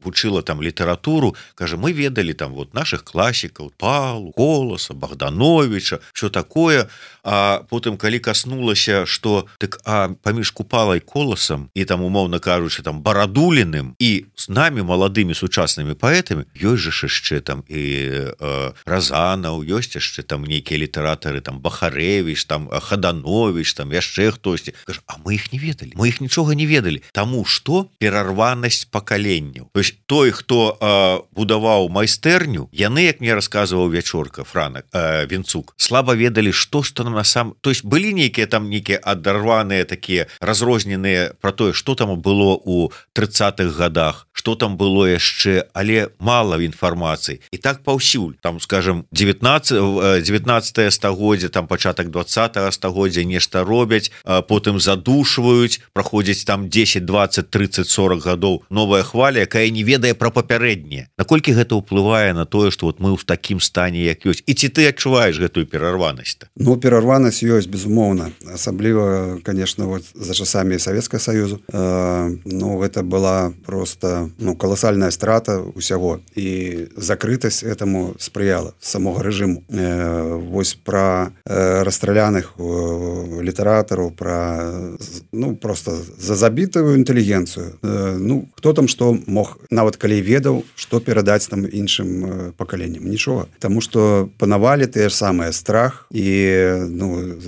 учила там литературу, каже, мы ведали там вот наших классиков, Павла, Колоса, Богдановича, что такое. А потом, коли коснулася, что так, а поміж Купалой, Колосом и там, умовно кажучи, там Барадулиным и с нами, молодыми сучасними поэтами, ёсць же яшчэ там и э, Разанов, ёсць яшчэ там некие литераторы, там Бахаревич, там Хаданович, там яшчэ хтосьці. Кажу, а мы их не ведали, мы их нічога не ведали, тому что перарванасць пакаленняў. То есть той, хто э, будаваў майстэрню, яны, як мне рассказываў Вячорка Франак, э, Вінцук, слаба ведали, что что нам на сам, то есть былі нейкія там нейкія адарваныя такія разрозненыя про тое, что там было у тридцатых годах, что там было яшчэ, але мало інфармацыі. І так паўсюль, там, скажем, девятнадцатое стагоддзе, там пачатак двадцатого стагоддзя нешта робяць, потым задушваюць, праходзіць там десять, двадцать, тридцать, сорок гадоў, новая хваля, якая не ведае пра папярэдняе. Наколькі гэта ўплывае на тое, што вот мы ў такім стане, як ёсць? І ці ты адчуваеш гэтую перарванасць? Ну, перарванасць ёсць, безумоўна. Асабліва, конечно, вот за часамі Савецкага Саюзу. Э, ну, гэта была просто, ну, колоссальная страта ўсяго. І закрытасць этому спрыяла самого рэжыму. Э, вось пра э, расстраляных э, літаратараў, пра, ну, просто за забітую інтэлігенцыю. Э, ну, хто там што мог, нават калі ведаў, што перадаць там іншым э, пакаленням? Нічога. Таму што панавалі тыя ж самыя страх і, ну,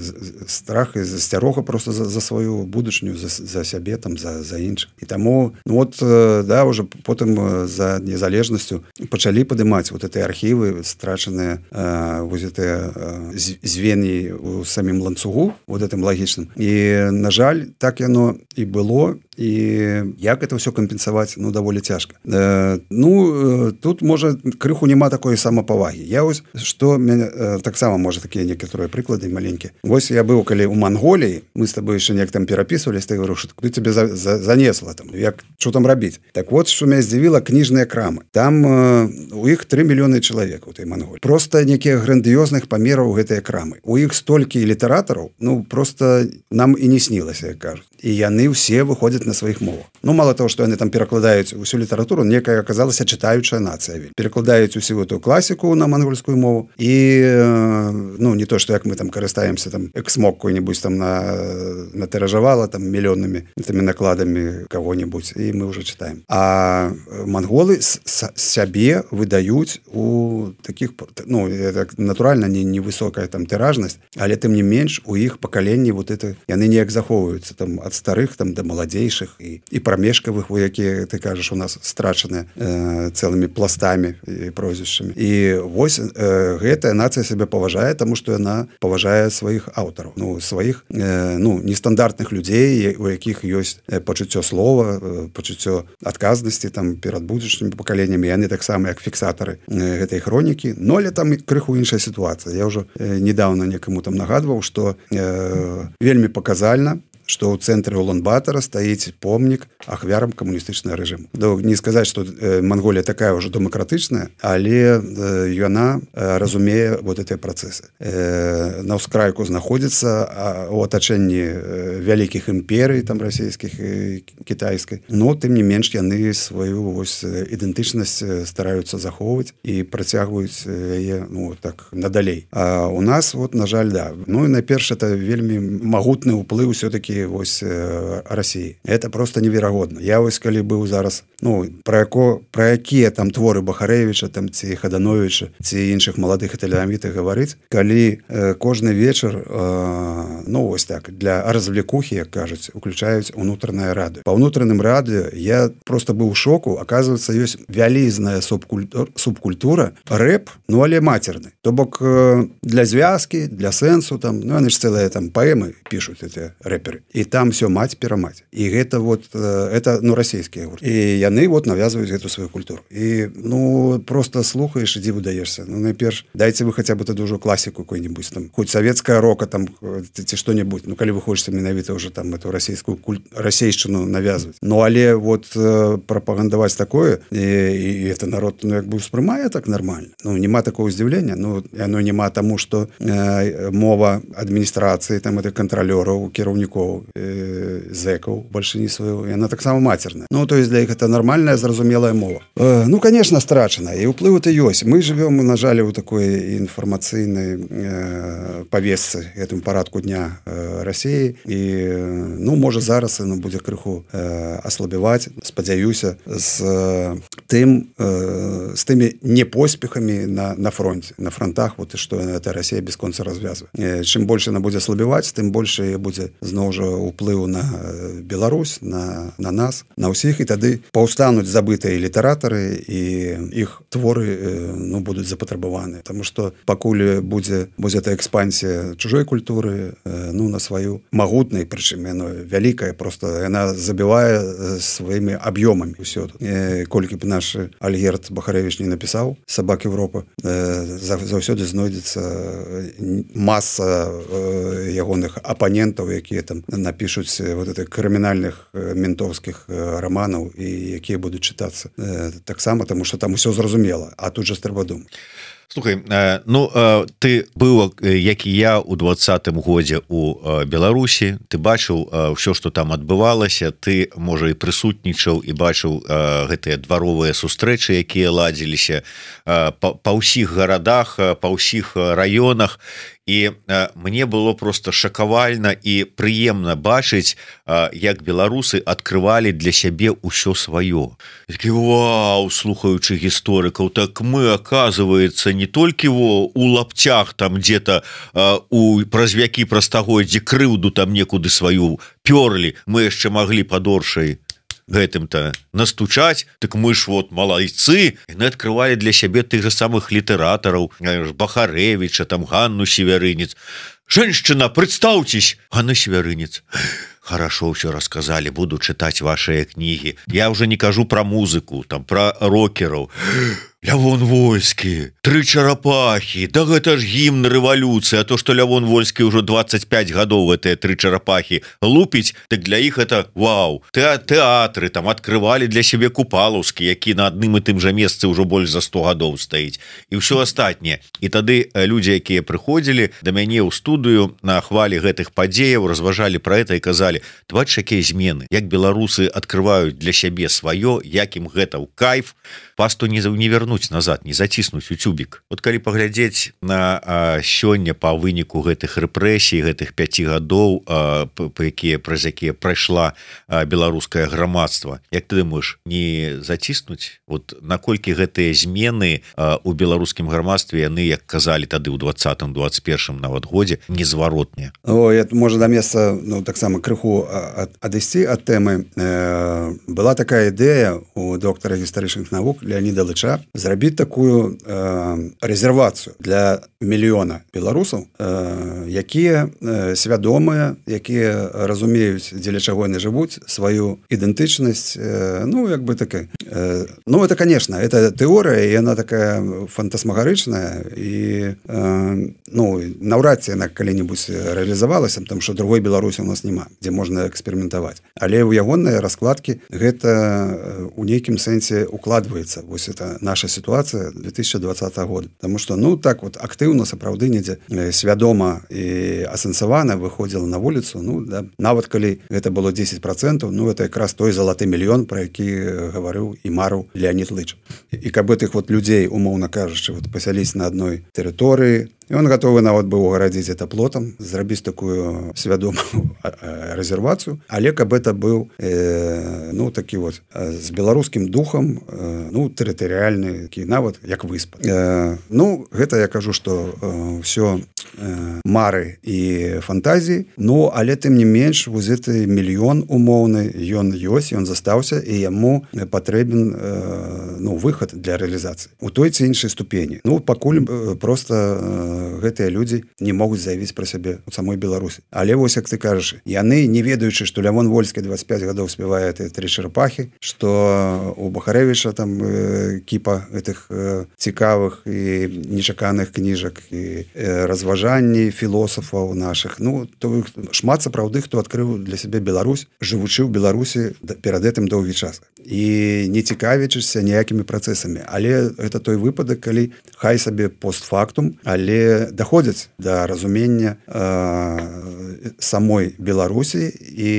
страх і засцярога просто за, за сваю будучню, за, за сябе, там, за, за іншых. І таму, ну, вот, да, уже потым за незалежнасцю пачалі падымаць вот эти архівы страчаныя, э, вот эти э, звеньі у самім ланцугу вот гэтым лагічным. І на жаль, так яно і было. І як это ўсё кампенсаваць, ну даволі цяжка. Э, ну тут можа крыху няма такой самапавагі. Я вось што э, таксама можа такія некаторыя прыклады маленькія. Вось я быў калі ў Манголіі, мы з табой яшчэ неяк там перапісвались, ты говорю, што куды тебе за, за, занесла там, як што там рабіць. Так вот, што мяне здзівіла, кніжныя крамы. Там э, у іх тры мільёны чалавек у той Манголіі. Просто некія грандыёзных памераў гэтыя крамы. У іх столькі літаратараў, ну просто нам і не снілася, як кажуць. І яны ўсе выходзяць на сваіх мовах. Ну, мало того, што яны там перакладаюць усю літаратуру, некая аказалася чытаючая нацыя. Перакладаюць усю эту класіку на мангольскую мову. І, ну, не то, што як мы там карыстаемся, там, эксмок какой-нибудь там на, натыражавала там мільённымі тымі накладамі кого-нибудь, і мы ўжо чытаем. А манголы сябе выдаюць у такіх, ну, это, натуральна, не, не высокая там тыражнасць, але тым не менш у іх пакаленні вот это, яны неяк захоўваюцца там ад старых там да маладзейшых і, і прамежкавых, у якія, ты кажаш, у нас страчаны э, цэлымі пластамі і прозвішчамі. І вось э, гэтая нацыя сябе паважае, таму што яна паважае сваіх аўтараў, ну, сваіх э, ну, нестандартных людзей, у якіх ёсць пачуццё слова, пачуццё адказнасці там перад будучымі пакаленнямі, яны таксама як фіксатары э, гэтай хронікі. Но але там крыху іншая сітуацыя. Я ўжо э, недавно некаму там нагадваў, што э, вельмі паказальна, што ў цэнтры Улан-Батора стаіць помнік ахвярам камуністычнага рэжыму. Не сказаць, што Манголія такая ўжо дэмакратычная, але яна разумее вот гэтыя працэсы. На ўскрайку знаходзіцца у атачэнні вялікіх імперый, там расійскіх і кітайскай, но тым не менш яны сваю вось ідэнтычнасць стараюцца захоўваць і працягваюць яе, ну, так надалей. А у нас вот, на жаль, да. Ну і найперш это вельмі магутны ўплыў ўсё-таки вось э, России. Это просто неверагодна. Я вось калі быў зараз, ну, пра яко, пра якія там творы Бахарэвіча, там ці Хадановіча, ці іншых маладых італьянітых гаварыць, калі э, кожны вечар, э, ну, вось так, для развлекухі, як кажуць, уключаюць унутранае радыё. Па ўнутраным радыё я просто быў у шоку, аказваецца, ёсць вялізная субкультура, субкультура рэп, ну, але мацерны. То бок э, для звязкі, для сэнсу, там, ну, яны ж цэлыя там паэмы пішуць эти рэперы. І там все маць-перамаць. І гэта вот, это, ну, расійскія гурты. І яны вот навязваюць гэту сваю культуру. І, ну, просто слухаеш і дзіву даешся. Ну, найперш, дайце вы хаця бы тады ўжо класіку какой-нибудь, там, хоць савецкая рока, там, ці што-нибудь. Ну, калі вы хочаце менавіта ўжо там эту расійскую культ... расейшчыну навязваць. Ну, але вот прапагандаваць такое, і, і это народ, ну, як бы успрымае так нормально. Ну, нема такого здзіўлення. Ну, яно нема таму, што э, мова адміністрацыі, там, это кантралёраў, кіраўнікоў, зэкаў бальшыні сваю, яна таксама мацерная. Ну, то есть для іх это нормальная, зразумелая мова. Э, ну, конечно, страчана, і ўплыў это ёсць. Мы живем, на жаль, у такой інфармацыйнай э, павесцы, гэтым парадку дня э, России, і, ну, можа зараз яно будзе крыху э, аслабіваць, спадзяюся, з э, тым, э, з тымі непоспехамі на, на фронте, на фронтах, вот, і што эта Россия бесконца развязвае. Э, чым больше она будзе аслабіваць, тым больше будзе зноў жа уплыў на Беларусь, на, на нас, на ўсіх, і тады паўстануць забытыя літаратары, і іх творы, ну, будуць запатрабаваны. Таму што пакуль будзе, будзе эта экспансія чужой культуры, ну, на сваю магутнай, прычым яно вялікая, просто яна забівае сваімі аб'ёмамі ўсё тут. Колькі б наш Альгерд Бахарэвіч не напісаў «Сабак Европы», заўсёды знойдзецца маса ягоных апанентаў, якія там напишуць вот это крымінальных ментовскіх романаў, і якія будуць чытацца э, таксама, таму што там усё зразумела, а тут жа трэба думаць. Слухай, ну, ты быў, як і я, у двадцатым годзе у Беларусі, ты бачыў ўсё, што там адбывалася, ты, можа, і прысутнічаў і бачыў гэтыя дваровыя сустрэчы, якія ладзіліся па, па ўсіх гарадах, па ўсіх раёнах, і мне было просто шакавальна і прыемна бачыць, як беларусы адкрывалі для сябе ўсё сваё. Такі, вау, слухаючы гісторыкаў, так мы, оказывается, не толькі во, у лаптях там где-то у праз вякі праз стагоддзі крыўду там некуды сваю пёрлі, мы яшчэ маглі падоршай. гэтым-то настучаць, так мы ж вот малайцы, яны открывали для сябе тых же самых літаратараў, Бахарэвіча, там Ганну Северынец. Женщина, представьтесь, Ганна Северынец. Хорошо все рассказали, буду читать ваши книги. Я уже не кажу про музыку, там про рокеров. Лявон Вольскі, тры чарапахі, да гэта ж гімн рэвалюцыі, а то, што Лявон Вольскі ўжо двадцать пять гадоў гэтыя тры чарапахі лупіць, так для іх это вау. Тэатры там адкрывалі для сябе Купалаўскі, які на адным і тым жа месцы ўжо больш за сто гадоў стаіць, і ўсё астатняе. І тады людзі, якія прыходзілі да мяне ў студыю на хвалі гэтых падзеяў, разважалі пра гэта і казалі: ты бачыш, якія змены, як беларусы адкрываюць для сябе сваё, як ім гэта ў кайф, пасту не вернуць назад, не заціснуць у цюбік. Вот калі паглядзець на а, сёння па выніку гэтых рэпрэсій, гэтых пяці гадоў, а, па якія праз якія прайшла а, беларускае грамадства, як ты думаеш, не заціснуць? Вот наколькі гэтыя змены а, у беларускім грамадстве, яны, як казалі тады ў двадцатым двадцать першым нават годзе, незваротныя? О, это можа да месца, ну, таксама крыху ад, адысці ад тэмы. Э, была такая ідэя у доктара гістарычных навук Леаніда Лыча зрабіць такую э, рэзервацыю для мільёна беларусаў, э, якія э, свядомыя, якія разумеюць, дзеля чаго яны жывуць, сваю ідэнтычнасць. Э, ну, як бы такая. Э, ну, это, конечно, это тэорыя, і яна такая фантасмагарычная, і э, ну, наўрад ці яна калі-небудзь рэалізавалася, потому што другой Беларусі у нас няма, дзе можна эксперыментаваць. Але ў ягоныя раскладкі гэта у нейкім сэнсе укладваецца. Вось это наша ситуация две тысячи двадцатого года. Потому что, ну, так вот активно, сапраўды, недзе свядома и асэнсавана выходила на улицу, ну, да, нават калі это было десять процентов, ну, это якраз той залаты мільён, про які гаварыў і марыў Леонид Лыч. И как бы тых вот людей, умоўна кажучы, вот пасяліць на одной территории, и он готовы нават быў угарадзіць это плотам, зрабіць такую свядомую рэзервацыю, але каб это быў э, ну, такі вот з беларускім духам, э, ну, тэрытарыяльны, такі нават як выспа. Э, ну, гэта я кажу, што э, ўсё э, мары і фантазіі, ну, але тым не менш, вось гэты мільён умоўны, ён ёсць, ён застаўся, і яму патрэбен э, ну, выхад для рэалізацыі у той ці іншай ступені. Ну, пакуль э, просто э, гэтыя людзі не могуць заявіць пра сябе у самой Беларусі. Але вось, як ты кажаш, яны, не ведаючы, што Лявон Вольскі двадцать пять гадоў спявае тры чарапахі, што у Бахарэвіча там э, кіпа гэтых э, цікавых і нечаканых кніжак і э, разважанні філосафаў нашых. Ну, то шмат сапраўды, хто адкрыў для сябе Беларусь, жывучы ў Беларусі перад гэтым доўгі час. І не цікавячыся ніякімі працэсамі. Але гэта той выпадак, калі хай сабе постфактум, але даходзяць да разумення э, самой Беларусі і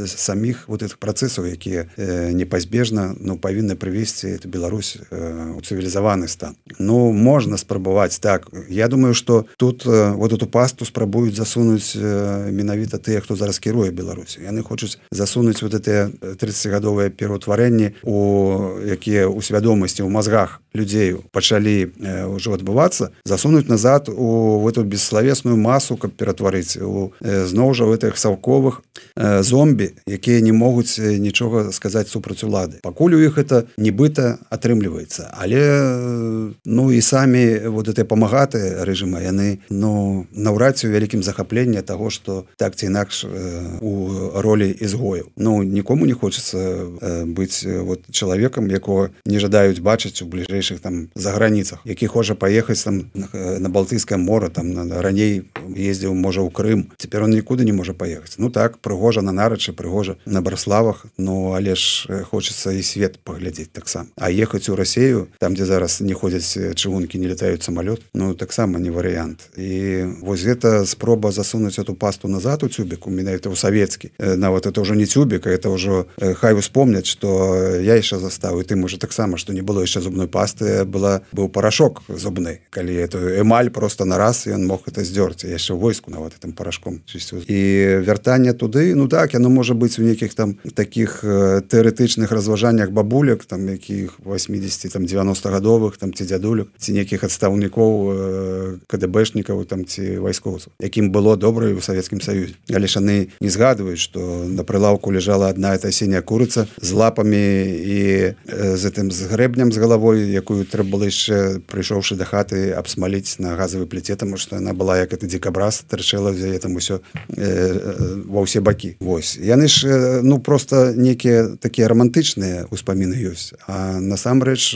самих вот этих працэсаў, якія э, непазбежна, ну, павінны прывесці эту Беларусь э, у цывілізаваны стан. Ну, можна спрабаваць так. Я думаю, што тут э, вот эту пасту спрабуюць засунуць э, менавіта тыя, хто зараз кіруе Беларусі. Яны хочуць засунуць вот гэтыя тридцатигадовыя пераўтварэнні, у якія ў свядомасці, у мазгах людзей пачалі э, ўжо адбывацца, засунуць назад у в эту бесславесную масу, каб ператварыць у э, зноў жа гэтых саўковых э, зомбі, якія не могуць нічога сказаць супраць улады. Пакуль у іх это нібыта атрымліваецца. Але э, ну і самі вот гэтыя памагатыя рэжыма, яны, ну, наўрад ці ў вялікім захапленні таго, што так ці інакш э, у ролі ізгояў. Ну, нікому не хочацца э, быць э, вот чалавекам, якога не жадаюць бачыць у бліжэйшых там заграніцах, які хоча паехаць там на, на Балтыйскае море, там на, раней ездзіў, можа, ў Крым. Цяпер он нікуды не можа паехаць. Ну так, прыгожа на Нарачы, прыгожа на Браславах, ну, але ж хочацца і свет паглядзець таксама. А ехаць у Расею, там, дзе зараз не ходзяць чыгункі, не летаюць самалёт, ну, таксама не варыянт. І вось гэта спроба засунуць эту пасту назад у цюбік, менавіта ў савецкі. Нават это ўжо не цюбік, а это ўжо хай успомняць, што я яшчэ застаў, і ты, можа, таксама, што не было яшчэ зубной пасты пасты была быў парашок зубны, калі эту эмаль просто на раз ён мог это здёрць, яшчэ войску нават гэтым парашком чысціў. І вяртанне туды, ну так, яно можа быць у нейкіх там такіх тэарэтычных разважаннях бабулек, там якіх восьмидесяти там девяностагадовых там ці дзядулек, ці нейкіх адстаўнікоў КДБшнікаў там ці вайскоўцаў, якім было добра і ў Савецкім Саюзе. Але ж яны не згадваюць, што на прылаўку ляжала одна эта сіняя курыца з лапамі і з гэтым з грэбнем з галавой, якую трэба было яшчэ, прыйшоўшы да хаты, абсмаліць на газавай пліце, таму што яна была як это дзікабраз, тырчэла з яе там усё э, ва ўсе бакі. Вось. Яны ж, ну, просто некія такія романтычныя ўспаміны ёсць. А насамрэч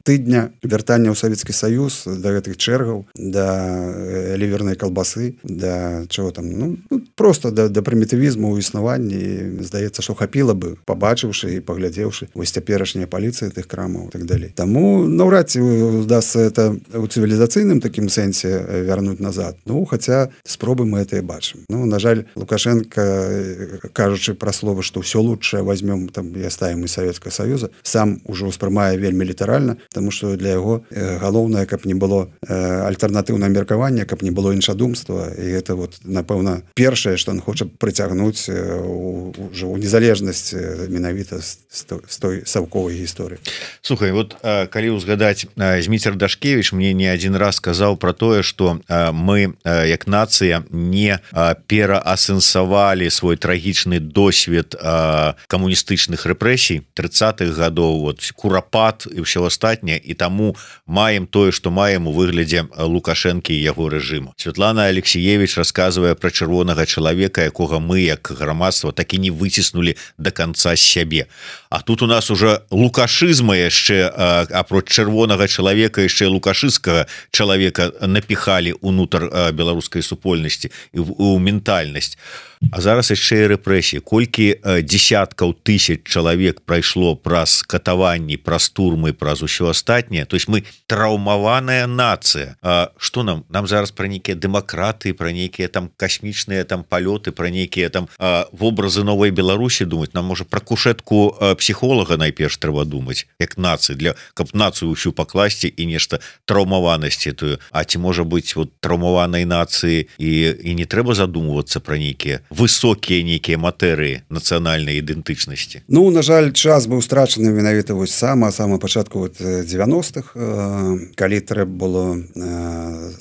тыдня вяртання ў Савецкі Саюз да гэтых чэргаў, да лівернай калбасы, да чаго там, ну, просто да, да прымітывізму ў існаванні. Здаецца, што хапіла бы, пабачыўшы і паглядзеўшы вось цяперашняя паліцыя тых крамаў і так далей. Таму наўрад ці удасца это ў цывілізацыйным такім сэнсе вярнуць назад. Ну, хаця спробы мы это і бачым. Ну, на жаль, Лукашенко, кажучы пра словы, што ўсё лучшае возьмем там і оставим из Советского Союза, сам уже ўспрымае вельмі літаральна, таму што для яго галоўнае, каб не было альтэрнатыўнае меркаванне, каб не было іншадумства, і гэта вот, напэўна, першае, што ён хоча прыцягнуць уже ў незалежнасць менавіта з той саўковай гісторыі. Слухай, вот калі ўзгадаць, Зміцер Дашкевіч мне не адзін раз сказаў пра тое, што мы як нацыя не пераасэнсавалі свой трагічны досвед камуністычных рэпрэсій трыццатых гадоў, вот курапат і ўсё астатняе, і таму маем тое, што маем у выглядзе Лукашэнкі і яго рэжыму. Святлана Алексеевич расказвае пра чырвонага чалавека, якога мы як грамадства так і не выціснулі до конца з сябе. А тут у нас уже лукашызма яшчэ, апроч чырвонага чалавека, яшчэ лукашыцкага чалавека напіхалі ўнутр беларускай супольнасці і ў ментальнасць. А зараз яшчэ і рэпрэсіі. Колькі десяткаў тысяч чалавек прайшло праз катаванні, праз турмы, праз усё астатняе. То есть мы траўмаваная нацыя. А што нам? Нам зараз пра нейкія дэмакраты, пра нейкія там касмічныя там палёты, пра нейкія там а, вобразы новай Беларусі думаць. Нам можа пра кушетку а, псіхолага найперш трэба думаць, як нацыі, для каб нацыю ўсю пакласці і нешта траўмаванасці тую. А ці можа быць вот траўмаванай нацыі і, і не трэба задумвацца пра нейкія высокія нейкія матэрыі нацыянальнай ідэнтычнасці? Ну, на жаль, час быў страчаны менавіта вось сама сама пачатку вот девяностых, калі трэба было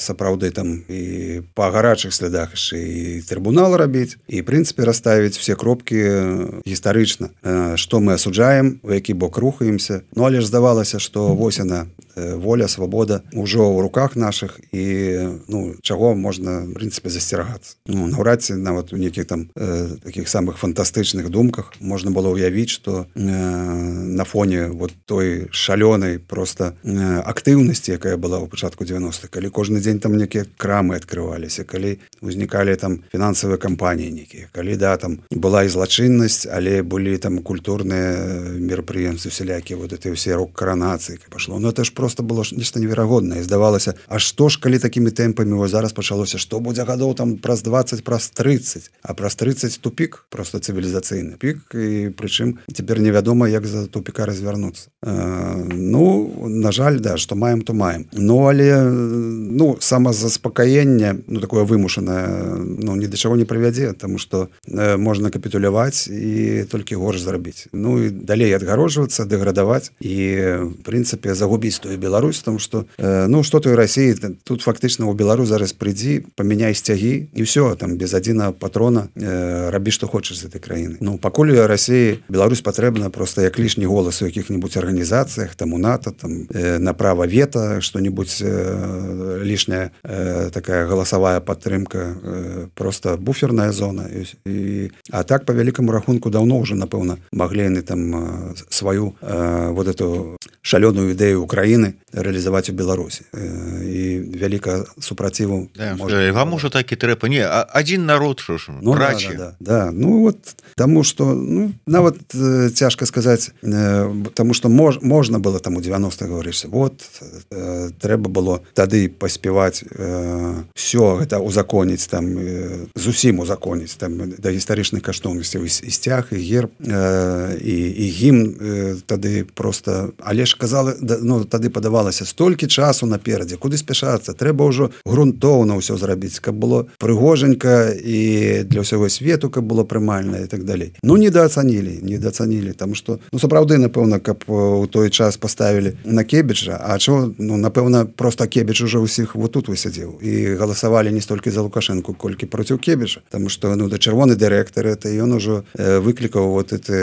сапраўды там і па гарачых слядах і трыбунал рабіць, і в прынцыпе расставіць все кропкі гістарычна, што мы асуджаем, у які бок рухаемся. Ну, але ж здавалася, што вось яна, воля, свабода ўжо ў руках наших, і ну, чаго можна в прынцыпе засцерагацца. Ну, наўрад ці нават у нейкіх там э, таких самых фантастычных думках можна было ўявіць, што э, на фоне вот той шалёнай просто э, актыўнасці, якая была ў пачатку девяностых, калі кожны дзень там нейкія крамы адкрываліся, калі узнікалі там фінансавыя кампаніі нейкія, калі да там была і злачыннасць, але былі там культурныя мерапрыемствы всялякія, вот эти ўсе рок-каранацыі пашло. Ну это ж просто было нешта неверагоднае. Здавалася, а што ж калі такімі тэмпамі вось зараз пачалося, што будзе гадоў там праз двадцать, праз тридцать, а праз тридцать тупик, просто цывілізацыйны пік, і прычым цяпер невядома, як за тупіка развярнуцца. Э, ну, на жаль, да, што маем, то маем. Ну, але ну, самазаспакаенне, ну, такое вымушанае, ну, ні да чаго не прывядзе, таму што э, можна капітуляваць і толькі горш зрабіць. Ну, і далей адгароджвацца, дэградаваць і, в прынцыпе, загубіць тую Беларусь, таму што, э, ну, што той Расіі, тут фактычна ў Беларусь зараз прыйдзі, памяняй сцягі, і ўсё, там, без адзінага патрона э, рабі, што хочаш з этой краіны. Ну, пакуль у Расіі Беларусь патрэбна проста як лішні голас у якіх-небудзь арганізацыях, там у НАТО, там, э, на права вета, што-небудзь э, лішняя э, такая галасавая падтрымка, э, просто буферная зона. І, і, а так, па вялікаму рахунку, даўно ўжо, напэўна, маглі яны там э, сваю э, вот эту шалёную ідэю Украіны рэалізаваць у Беларусі. Э, і вяліка супраціву. Да, можа, вам ужо так і трэба. Не, адзін народ, що ж, ну, да, да, да, да. Ну, вот, таму што, ну, нават э, цяжка сказаць, э, таму што мож, можна было там у девяностых гаварыць, вот, э, трэба было тады паспяваць э, всё гэта узаконіць, там, э, зусім узаконіць, там, да гістарычных каштоўнасцяў і, і сцяг, і герб, э, і, і гімн э, тады просто, але ж казали, ну, тады падавалася столькі часу наперадзе, куды спяшацца, трэба ўжо грунтоўна ўсё зрабіць, каб было прыгожанька і для ўсяго свету, каб было прымальна і так далей. Ну, недаацанілі, недаацанілі, таму што, ну, сапраўды, напэўна, каб у той час паставілі на Кебіча, а чо, ну, напэўна, просто Кебіч уже ўсіх вот тут высядзеў і галасавалі не столькі за Лукашенко, колькі проціў Кебіча, таму што, ну, да чырвоны дырэктар, это ён ужо выклікаў вот эти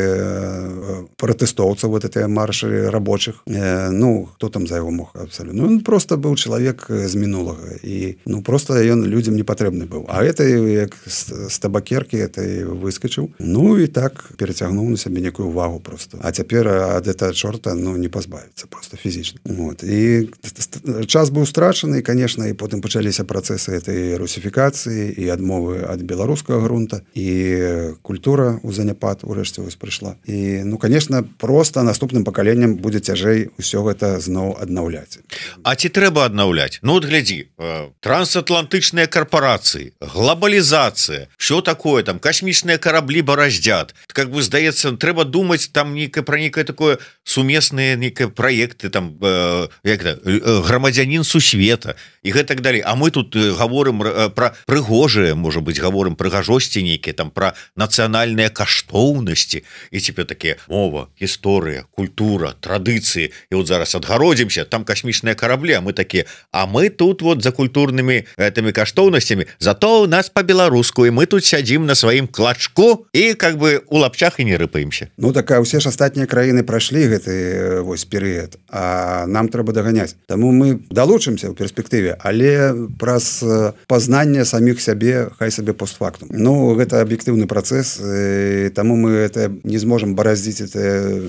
пратэстоўцаў, вот эти маршы рабочих, ну, хто там за яго мог абсолютно. Ну, он просто быў чалавек з мінулага і, ну, просто ён людзям не патрэбны быў. А это як з табакеркі это выскочыў. Ну, і так перацягнуў на сябе некую увагу просто. А цяпер ад этого чорта, ну, не пазбавіцца просто фізічна. Вот. І час быў страчаны, і, конечно, і потым пачаліся працэсы этой русіфікацыі і адмовы ад беларускага грунта, і культура у заняпад урэшце вось прыйшла. І, ну, конечно, просто наступным пакаленням будзе цяжэй усё гэта зноў аднаўляць. А ці трэба аднаўляць? Ну, вот глядзі, трансатлантычныя карпорацыі, глобалізацыя, що такое там, касмічныя караблі бараздзят. Как бы, здаецца, трэба думаць там нейкае пра нейкае такое сумесныя нейкае праекты, там, э, як это, грамадзянін сусвета і гэтак далей. А мы тут гаворым пра прыгожыя, можа быць, гаворым прыгажосці нейкія, там, пра нацыянальныя каштоўнасці, і цяпер такія мова, гісторыя, культура, традыцыі, і вот зараз адгародзімся, там касмічныя караблі, а мы такія, а мы тут вот за культурнымі гэтымі каштоўнасцямі, зато у нас по-беларуску, і мы тут сядзім на сваім клачку і как бы у лапчах і не рыпаемся. Ну, так, а ўсе ж астатнія краіны прайшлі гэты вось перыяд, а нам трэба даганяць. Таму мы далучымся ў перспектыве, але праз пазнанне саміх сябе, хай сабе постфактум. Ну, гэта аб'ектыўны працэс, таму мы это не зможам бараздзіць это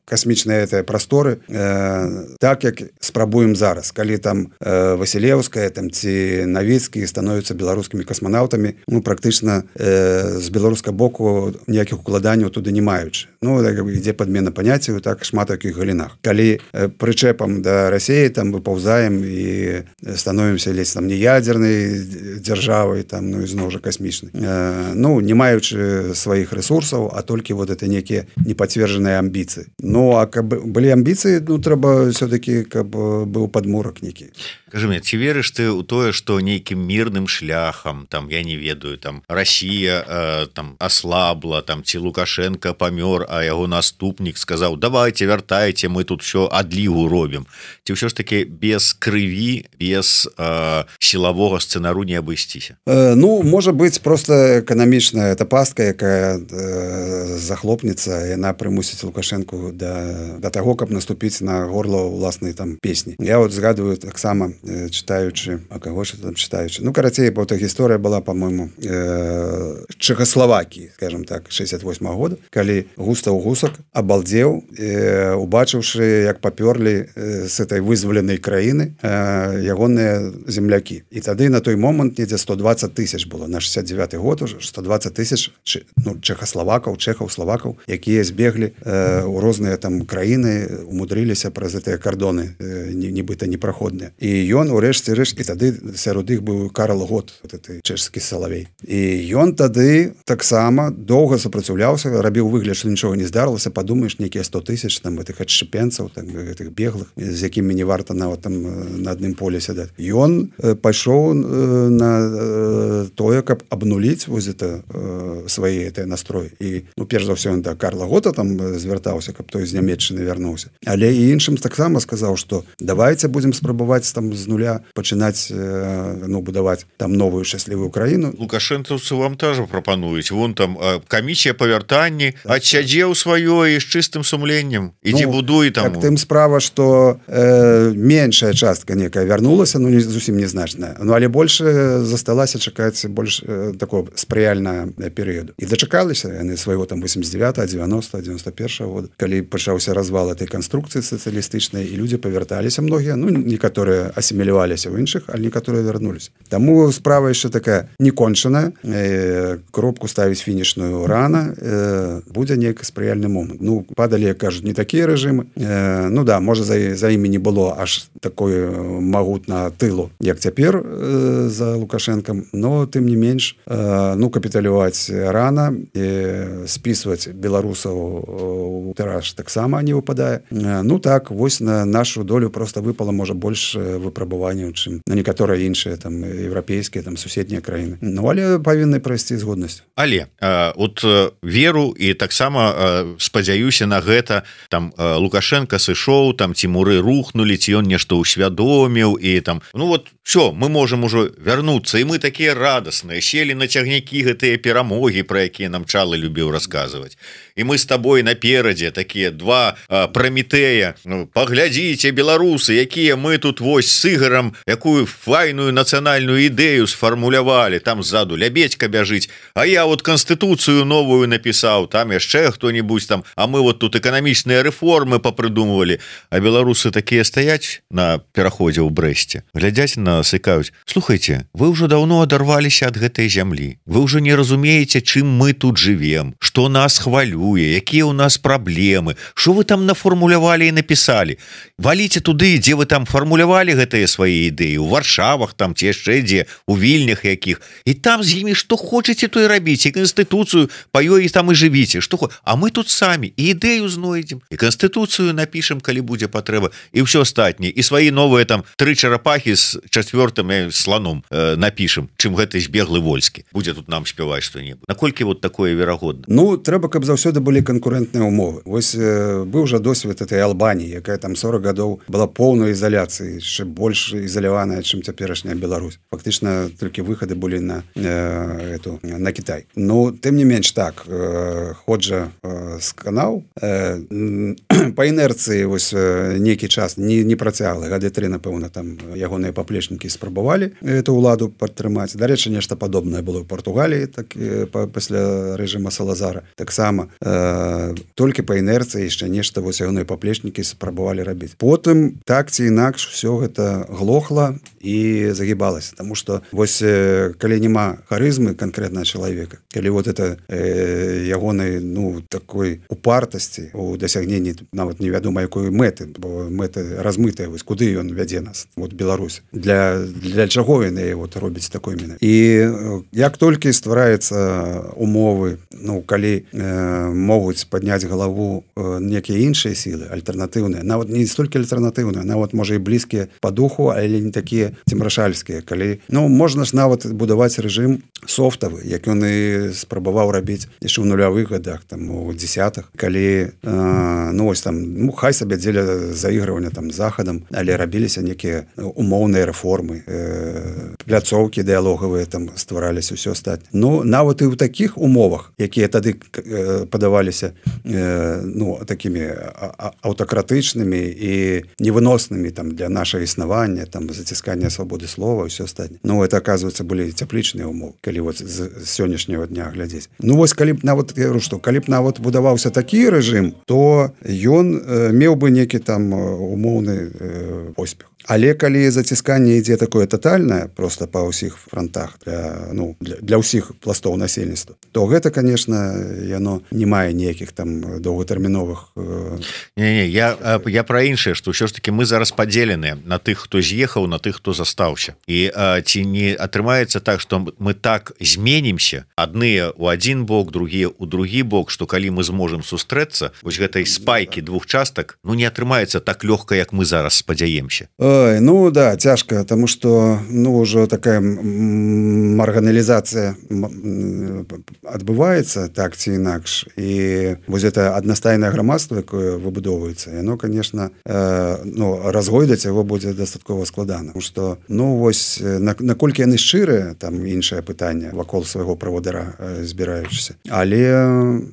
касмічныя это прасторы э, так, як спрабуем зараз. Калі там э, Васілеўская там, ці Навіцкі становяцца беларускімі касманаўтамі, ну, практычна э, з беларускага боку ніякіх укладанняў туды не маючы. Ну, так, ідзе падмена паняццяў, так шмат якіх галінах. Калі э, прычэпам да Расіі там выпаўзаем і становімся ледзь там не ядзернай дзяржавай, там, ну, і зноў жа касмічнай. Э, ну, не маючы сваіх рэсурсаў, а толькі вот это некія непацверджаныя амбіцыі. Ну, а каб былі амбіцыі, ну, трэба все-таки, каб быў падмурак нейкі. Скажи мне, ці верыш ты ў тое, што нейкім мірным шляхам, там, я не ведаю, там, Расія э, там аслабла, там, ці Лукашенко памёр, а яго наступнік сказаў, давайте, вяртайце, мы тут все адлігу робім. Ці ўсё ж таки без крыві, без э, сілавога сцэнару не абысціся? Э, ну, можа быць, просто эканамічная эта пастка, якая э, захлопнецца, яна прымусіць Лукашенку да, да таго, каб наступіць на горло ўласнай там песні. Я вот згадываю таксама, читаючы, а кого ж там читаючы. Ну, карацей, бо эта гісторыя была, по-моему, э, Чехословакии, скажем так, шестьдесят восьмого года, калі Густаў Гусак абалдзеў, э, убачыўшы, як папёрлі э, с этой вызваленай краіны э, ягоныя землякі. І тады на той момант недзе сто двадцать тысяч было, на шестьдесят девятый год уже, сто двадцать тысяч ну, чехословакаў, чехаў, славакаў, якія збеглі э, у розныя там краіны, умудрыліся праз гэтыя кардоны, э, нібыта непраходныя. І ён урэшце рэш, і тады сярод іх быў Карл Гот, вот этой чэшскі салавей. І ён тады таксама доўга супраціўляўся, рабіў выгляд, што нічога не здарылася, падумаеш, нейкія сто тысяч там гэтых адшчэпенцаў, там гэтых беглых, з якімі не варта нават там на адным поле сядаць. Ён пайшоў на тое, каб абнуліць вось это свае гэтыя настроі. І, ну, перш за ўсё, ён да Карла Гота там звяртаўся, каб той з Нямецчыны вярнуўся. Але і іншым таксама сказаў, што давайте будзем спрабаваць там з нуля пачынаць, ну, будаваць там новую шчаслівую краіну. Лукашэнцаўцы вам тоже прапануюць. Вон там камісія па вяртанні, адсядзеў сваё і з чыстым сумленнем. Ідзі, ну, будуй там. Так, тым справа, што э, меншая частка некая вярнулася, ну, не, зусім незначная. Ну, але больш засталася чакаць больш э, такого спрыяльнага перыяду. І дачакаліся яны свайго там восемьдесят девятого, девяностого, девяносто первого года, калі пачаўся развал этой канструкцыі сацыялістычнай, і людзі павярталіся многія, ну, некаторыя асіміляваліся ў іншых, але некаторыя вярнуліся. Таму справа яшчэ такая некончаная, э, кропку ставіць фінішную рана, э, будзе нейкі спрыяльны момант. Ну, падалі, як кажуць, не такія рэжымы. Э, ну да, можа, за, за імі не было аж такой магут, тут на тылу як цяпер э, за Лукашенком, но тым не менш э, ну капіталюваць рана, э, спісваць беларусаў у тыраж таксама не выпадае. Э, ну так вось на нашу долю просто выпала можа больш выпрабаванняў, чым на некаторыя іншыя там еўрапейскія там суседнія краіны. Ну але павінны прайсці з годнасцю. Але э, от э, веру і таксама э, спадзяюся на гэта там э, Лукашенко сышоў, там ці муры рухнули, ці ён нешта ўсвядоміў і там ну вот все, мы можем ужо вярнуцца, і мы такія радасныя селі на цягнікі гэтыя перамогі, пра якія нам Чалы любіў расказваць. І мы з табой наперадзе такія два э, Прамітэя. Ну, паглядзіце, беларусы, якія мы тут вось з Ігарам якую файную нацыянальную ідэю сфармулявалі, там ззаду Лябедька бяжыць, а я вот канстытуцыю новую напісаў, там яшчэ хто-нибудь там, а мы вот тут эканамічныя рэформы папрыдумывалі, а беларусы такія стаяць на пераходзе ў Брэсце, глядзяць на нас і кажуць: слухайте, вы ўжо даўно адарваліся ад гэтай зямлі, вы ўжо не разумееце, чым мы тут живем, што нас хвалюе, якія ў нас праблемы, што вы там нафармулявалі і напісалі, валіце туды, дзе вы там фармулявалі гэтыя свае ідэі, у Варшавах там ці яшчэ дзе, у Вільнях якіх, і там з імі што хочаце, то і рабіць, і канстытуцыю па ёй там і жывіце, што хо... а мы тут самі і ідэю знойдзем, і канстытуцыю напішам, калі будзе патрэба, і ўсё астатняе, і свае новыя там тры чарапахі з чацвёртым слоном э, напішам, чым гэты збеглы Вольскі будзе тут нам спяваць што-небудзь. Наколькі вот такое верагодна? Ну трэба, каб заўсёды былі канкурэнтныя ўмовы. Вось э, быў жа досвед этой Албаніі, якая там сорок гадоў была поўнай ізаляцыі, яшчэ больш ізаляваная, чым цяперашняя Беларусь. Фактычна толькі выхады былі на э, эту на Кітай. Ну тым не менш так э, ходжа э, сканаў э, па інерцыі вось э, нейкі час не, не працяглы, гады тры, напэўна, там ягоныя паплечнікі спрабавалі эту ўладу падтрымаць. Дарэчы, нешта падобнае было ў Партугаліі, так па, пасля рэжыма Салазара. Таксама э, толькі па інерцыі яшчэ нешта вось ягоныя паплечнікі спрабавалі рабіць. Потым так ці інакш все гэта глохла і загібалася, таму што вось э, калі няма харызмы канкрэтнага чалавека, калі вот это э, ягонай ну такой упартасці у дасягненні нават невядома якой мэты, бо мэты размытая, вось куды ён вядзе нас, вот Беларусь, для, для чаго яны вот робіць такой міны. І як толькі ствараецца умовы, ну калі э, могуць падняць галаву э, некія іншыя сілы альтэрнатыўныя, нават не столькі альтэрнатыўныя, нават можа і блізкія па духу, але не такія цімрашальскія, калі ну можна ж нават будаваць рэжым софтавы, як ён і спрабаваў рабіць яшчэ ў нулявых гадах, там у дзесятых, калі э, ну ось там ну хай сабе дзеля заігрывання там захадам, але рабіліся некія умоўныя рэформы, э, пляцоўкі дыялогавыя там ствараліся, ўсё астатняе. Ну нават і ў такіх умовах, якія тады э, падаваліся э, ну такімі аўтакратычнымі і невыноснымі там для нашага існавання, там заціскання свабоды слова, ўсё астатняе. Ну это оказывается былі цяплічныя умовы, калі вот з, з сённяшняга дня глядзець. Ну вось калі б нават я говорю, што калі б нават будаваўся такі рэжым, то ён э, меў бы некі там умоўны э, поспех. Але калі зацісканне ідзе такое тотальнае просто па ўсіх фронтах для ну для, для ўсіх пластоў насельніцтва, то гэта конечно яно не мае ніякіх там доўгатэрміновых э... не, не, я я пра іншае, што ўсё ж таки мы зараз падзеленыя на тых, хто з'ехаў, на тых, хто застаўся, і а, ці не атрымаецца так, што мы так зменімся, адныя ў адзін бок, другія ў другі бок, што калі мы зможам сустрэцца вось гэтай спайкі двух частак, ну не атрымаецца так лёгка, як мы зараз спадзяемся. Ой, ну да, цяжка, тому што ну ўжо такая марганалізацыя адбываецца так ці інакш, і вось это аднастайнае грамадства, якое выбудоўваецца, яно конечно э, ну разгойдаць яго будзе дастаткова складана, што ну вось наколькі яны шчырыя, там іншае пытанне вакол свайго правадыра э, збіраючыся, але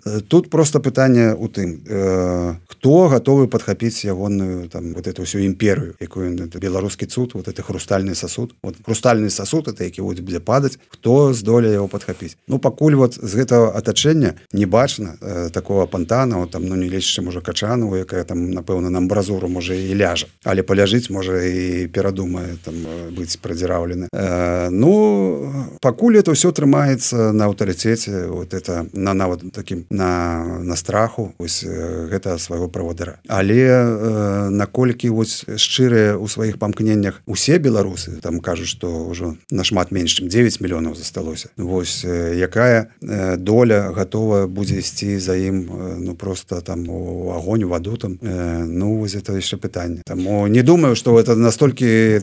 э, тут просто пытанне у тым э, хто гатовы падхапіць ягоную там вот эту всю імперыю, якую беларускі цуд, вот это хрустальный сосуд, вот хрустальный сосуд это які будзе падаць, хто здолее яго падхапіць. Ну пакуль вот з гэтага атачэння не бачна э, такого пантана, там ну не лечышча можа Качанову, якая там напэўна на амбразуру можа і ляжа, але паляжыць можа і перадумае там быць прадзіраўлены. Э, ну пакуль але это ўсё трымаецца на аўтарытэце, вот это на нават такім на, на страху вось гэта свайго правадыра. Але э, наколькі вось шчырыя ў сваіх памкненнях усе беларусы, там кажуць, што ўжо нашмат менш чым дзевяць мільёнаў засталося. Вось э, якая э, доля гатова будзе ісці за ім э, ну просто там у агонь, у ваду там, э, ну вось это яшчэ пытанне. Таму не думаю, што это настолькі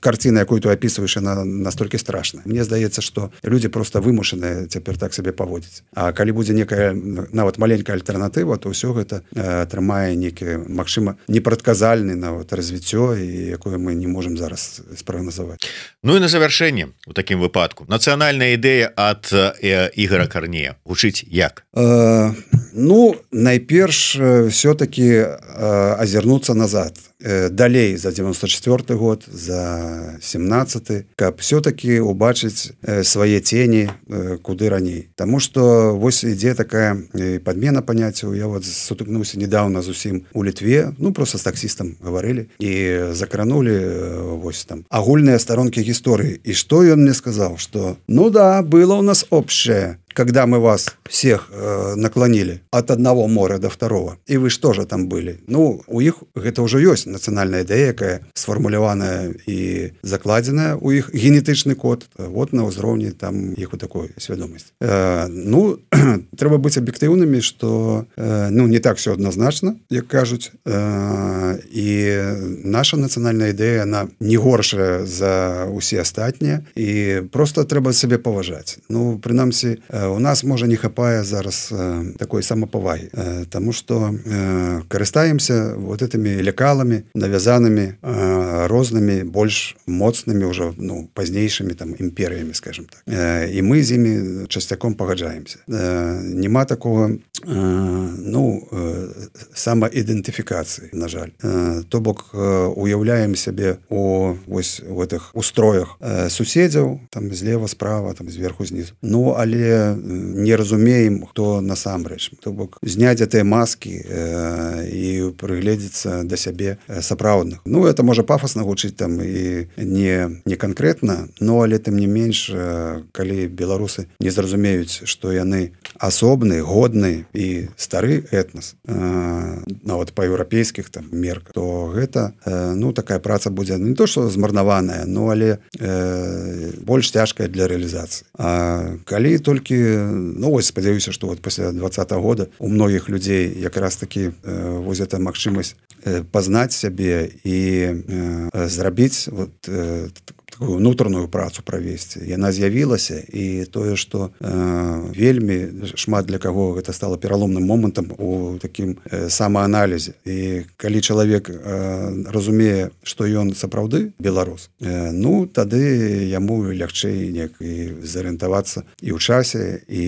карціна, якую ты опісваеш, яна настолькі страшная. Мне здаецца, што людзі просто вымушаныя цяпер так сабе паводзіць. А калі будзе некая нават маленькая альтэрнатыва, то ўсё гэта э, атрымае некі, магчыма, непрадказальны нават развіццё, і якое мы не можам зараз спрагназаваць. Ну і на завяршэнне у такім выпадку нацыянальная ідэя ад э, Ігора Карнея гучыць як? Э, ну найперш все-таки э, азірнуцца назад, э, далей за девяносто четвёрты год, за семнадцаты, каб все-таки убачыць э, свае тені э, куды раней. Таму што вось ідзе такая э, подмена паняццяў. Я вот сутыкнуўся недавно зусім у Літве, ну просто с таксістам гаварылі і закранули э, вось там агульныя старонкі гісторыі. І што ён мне сказал, что ну да, было у нас общее, когда мы вас всех э, наклонили от одного моря до второго, и вы что же там были? Ну, у іх гэта ўжо ёсць нацыянальная ідэя, якая сфармуляваная і закладзеная у іх генетычны код, вот на ўзроўні там іх у такой свядомасці. Э, ну, трэба быць аб'ектыўнымі, што э, ну, не так все адназначна, як кажуць, э, і наша нацыянальная ідэя, она не горшая за усе астатнія, і просто трэба сабе паважаць. Ну, прынамсі, э, у нас, можа, не хапае зараз э, такой самапавагі, э, таму што э, карыстаемся вот этими лекаламі, навязанымі э, рознымі, больш моцнымі ўжо, ну, пазнейшымі там імперыямі, скажем так. Э, і мы з імі часцяком пагаджаемся. Э, нема такого, э, ну, э, самаідэнтыфікацыі, на жаль. Э, то бок э, уяўляем сябе у вось у гэтых устроях э, суседзяў, там злева, справа, там зверху, знізу. Ну, але не разумеем, хто насамрэч. То бок зняць гэтыя маскі э, і прыгледзецца да сябе сапраўдных. Ну, это можа пафасна гучыць там і не, не канкрэтна, но але тым не менш, э, калі беларусы не зразумеюць, што яны асобны, годны і стары этнас, э, нават па еўрапейскіх там мерках, то гэта э, ну, такая праца будзе не то, што змарнаваная, но але э, больш цяжкая для рэалізацыі. А калі толькі, ну вось спадзяюся, што вот пасля двадцатого года у многіх людзей якраз такі э, вось эта магчымасць э, пазнаць сябе і э, зрабіць вот э, такую унутраную працу правесці. Яна з'явілася, і тое, што э, вельмі шмат для каго гэта стала пераломным момантам у такім э, самааналізе. І калі чалавек э, разумее, што ён сапраўды беларус, э, ну, тады яму лягчэй неяк і зарыентавацца і ў часе, і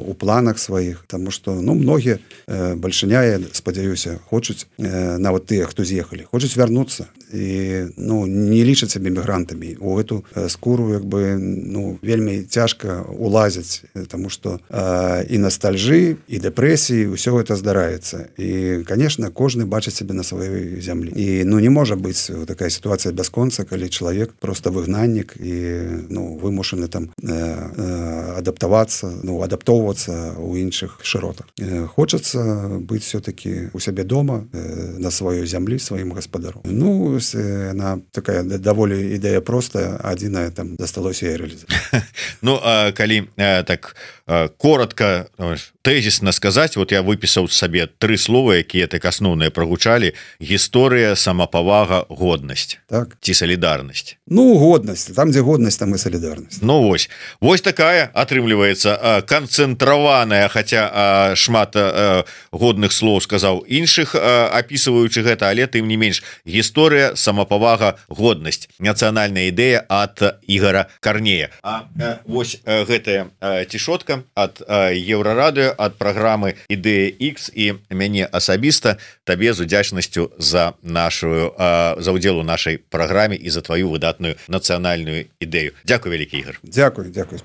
ў планах сваіх, таму што, ну, многія э, бальшыня, я спадзяюся, хочуць, э, нават тыя, хто з'ехалі, хочуць вярнуцца і, ну, не лічаць сябе мігрантамі. У эту скуру, як бы, ну, вельмі цяжка улазіць, таму што э, і ностальжы, і дэпрэсіі, ўсё гэта здараецца. І, конечно, кожны бачыць сябе на сваёй зямлі. І, ну, не можа быць такая сітуацыя бясконца, калі чалавек просто выгнаннік і, ну, вымушаны там э, э, адаптавацца, ну, адаптоўвацца ў іншых шыротах. Э, хочацца быць все-таки у сябе дома, э, на сваёй зямлі, сваім гаспадаром. Ну, яна такая даволі ідэя простая, адзінае там засталося і рэалізаваць. Ну, а калі а, так а, коротко, тэзісна сказаць, вот я выпісаў сабе тры слова, якія так асноўныя прагучалі: гісторыя, самапавага, годнасць. Так. Ці салідарнасць. Ну, годнасць, там дзе годнасць, там і салідарнасць. Ну вось, вось такая атрымліваецца канцэнтраваная, хаця шмат а, годных слоў сказаў іншых, а, апісваючы гэта, але тым не менш, гісторыя, самапавага, годнасць. Нацыянальная ідэя ад Ігора Карнея. А, а вось а, гэтая а, цішотка ад Еўрарадыё, ад праграмы Ідэя Х, і мяне асабіста табе з удзячнасцю за нашу а, за ўдзел у нашай праграме і за тваю выдатную нацыянальную ідэю. Дзякуй, вялікі Ігор. Дзякуй, дзякуй.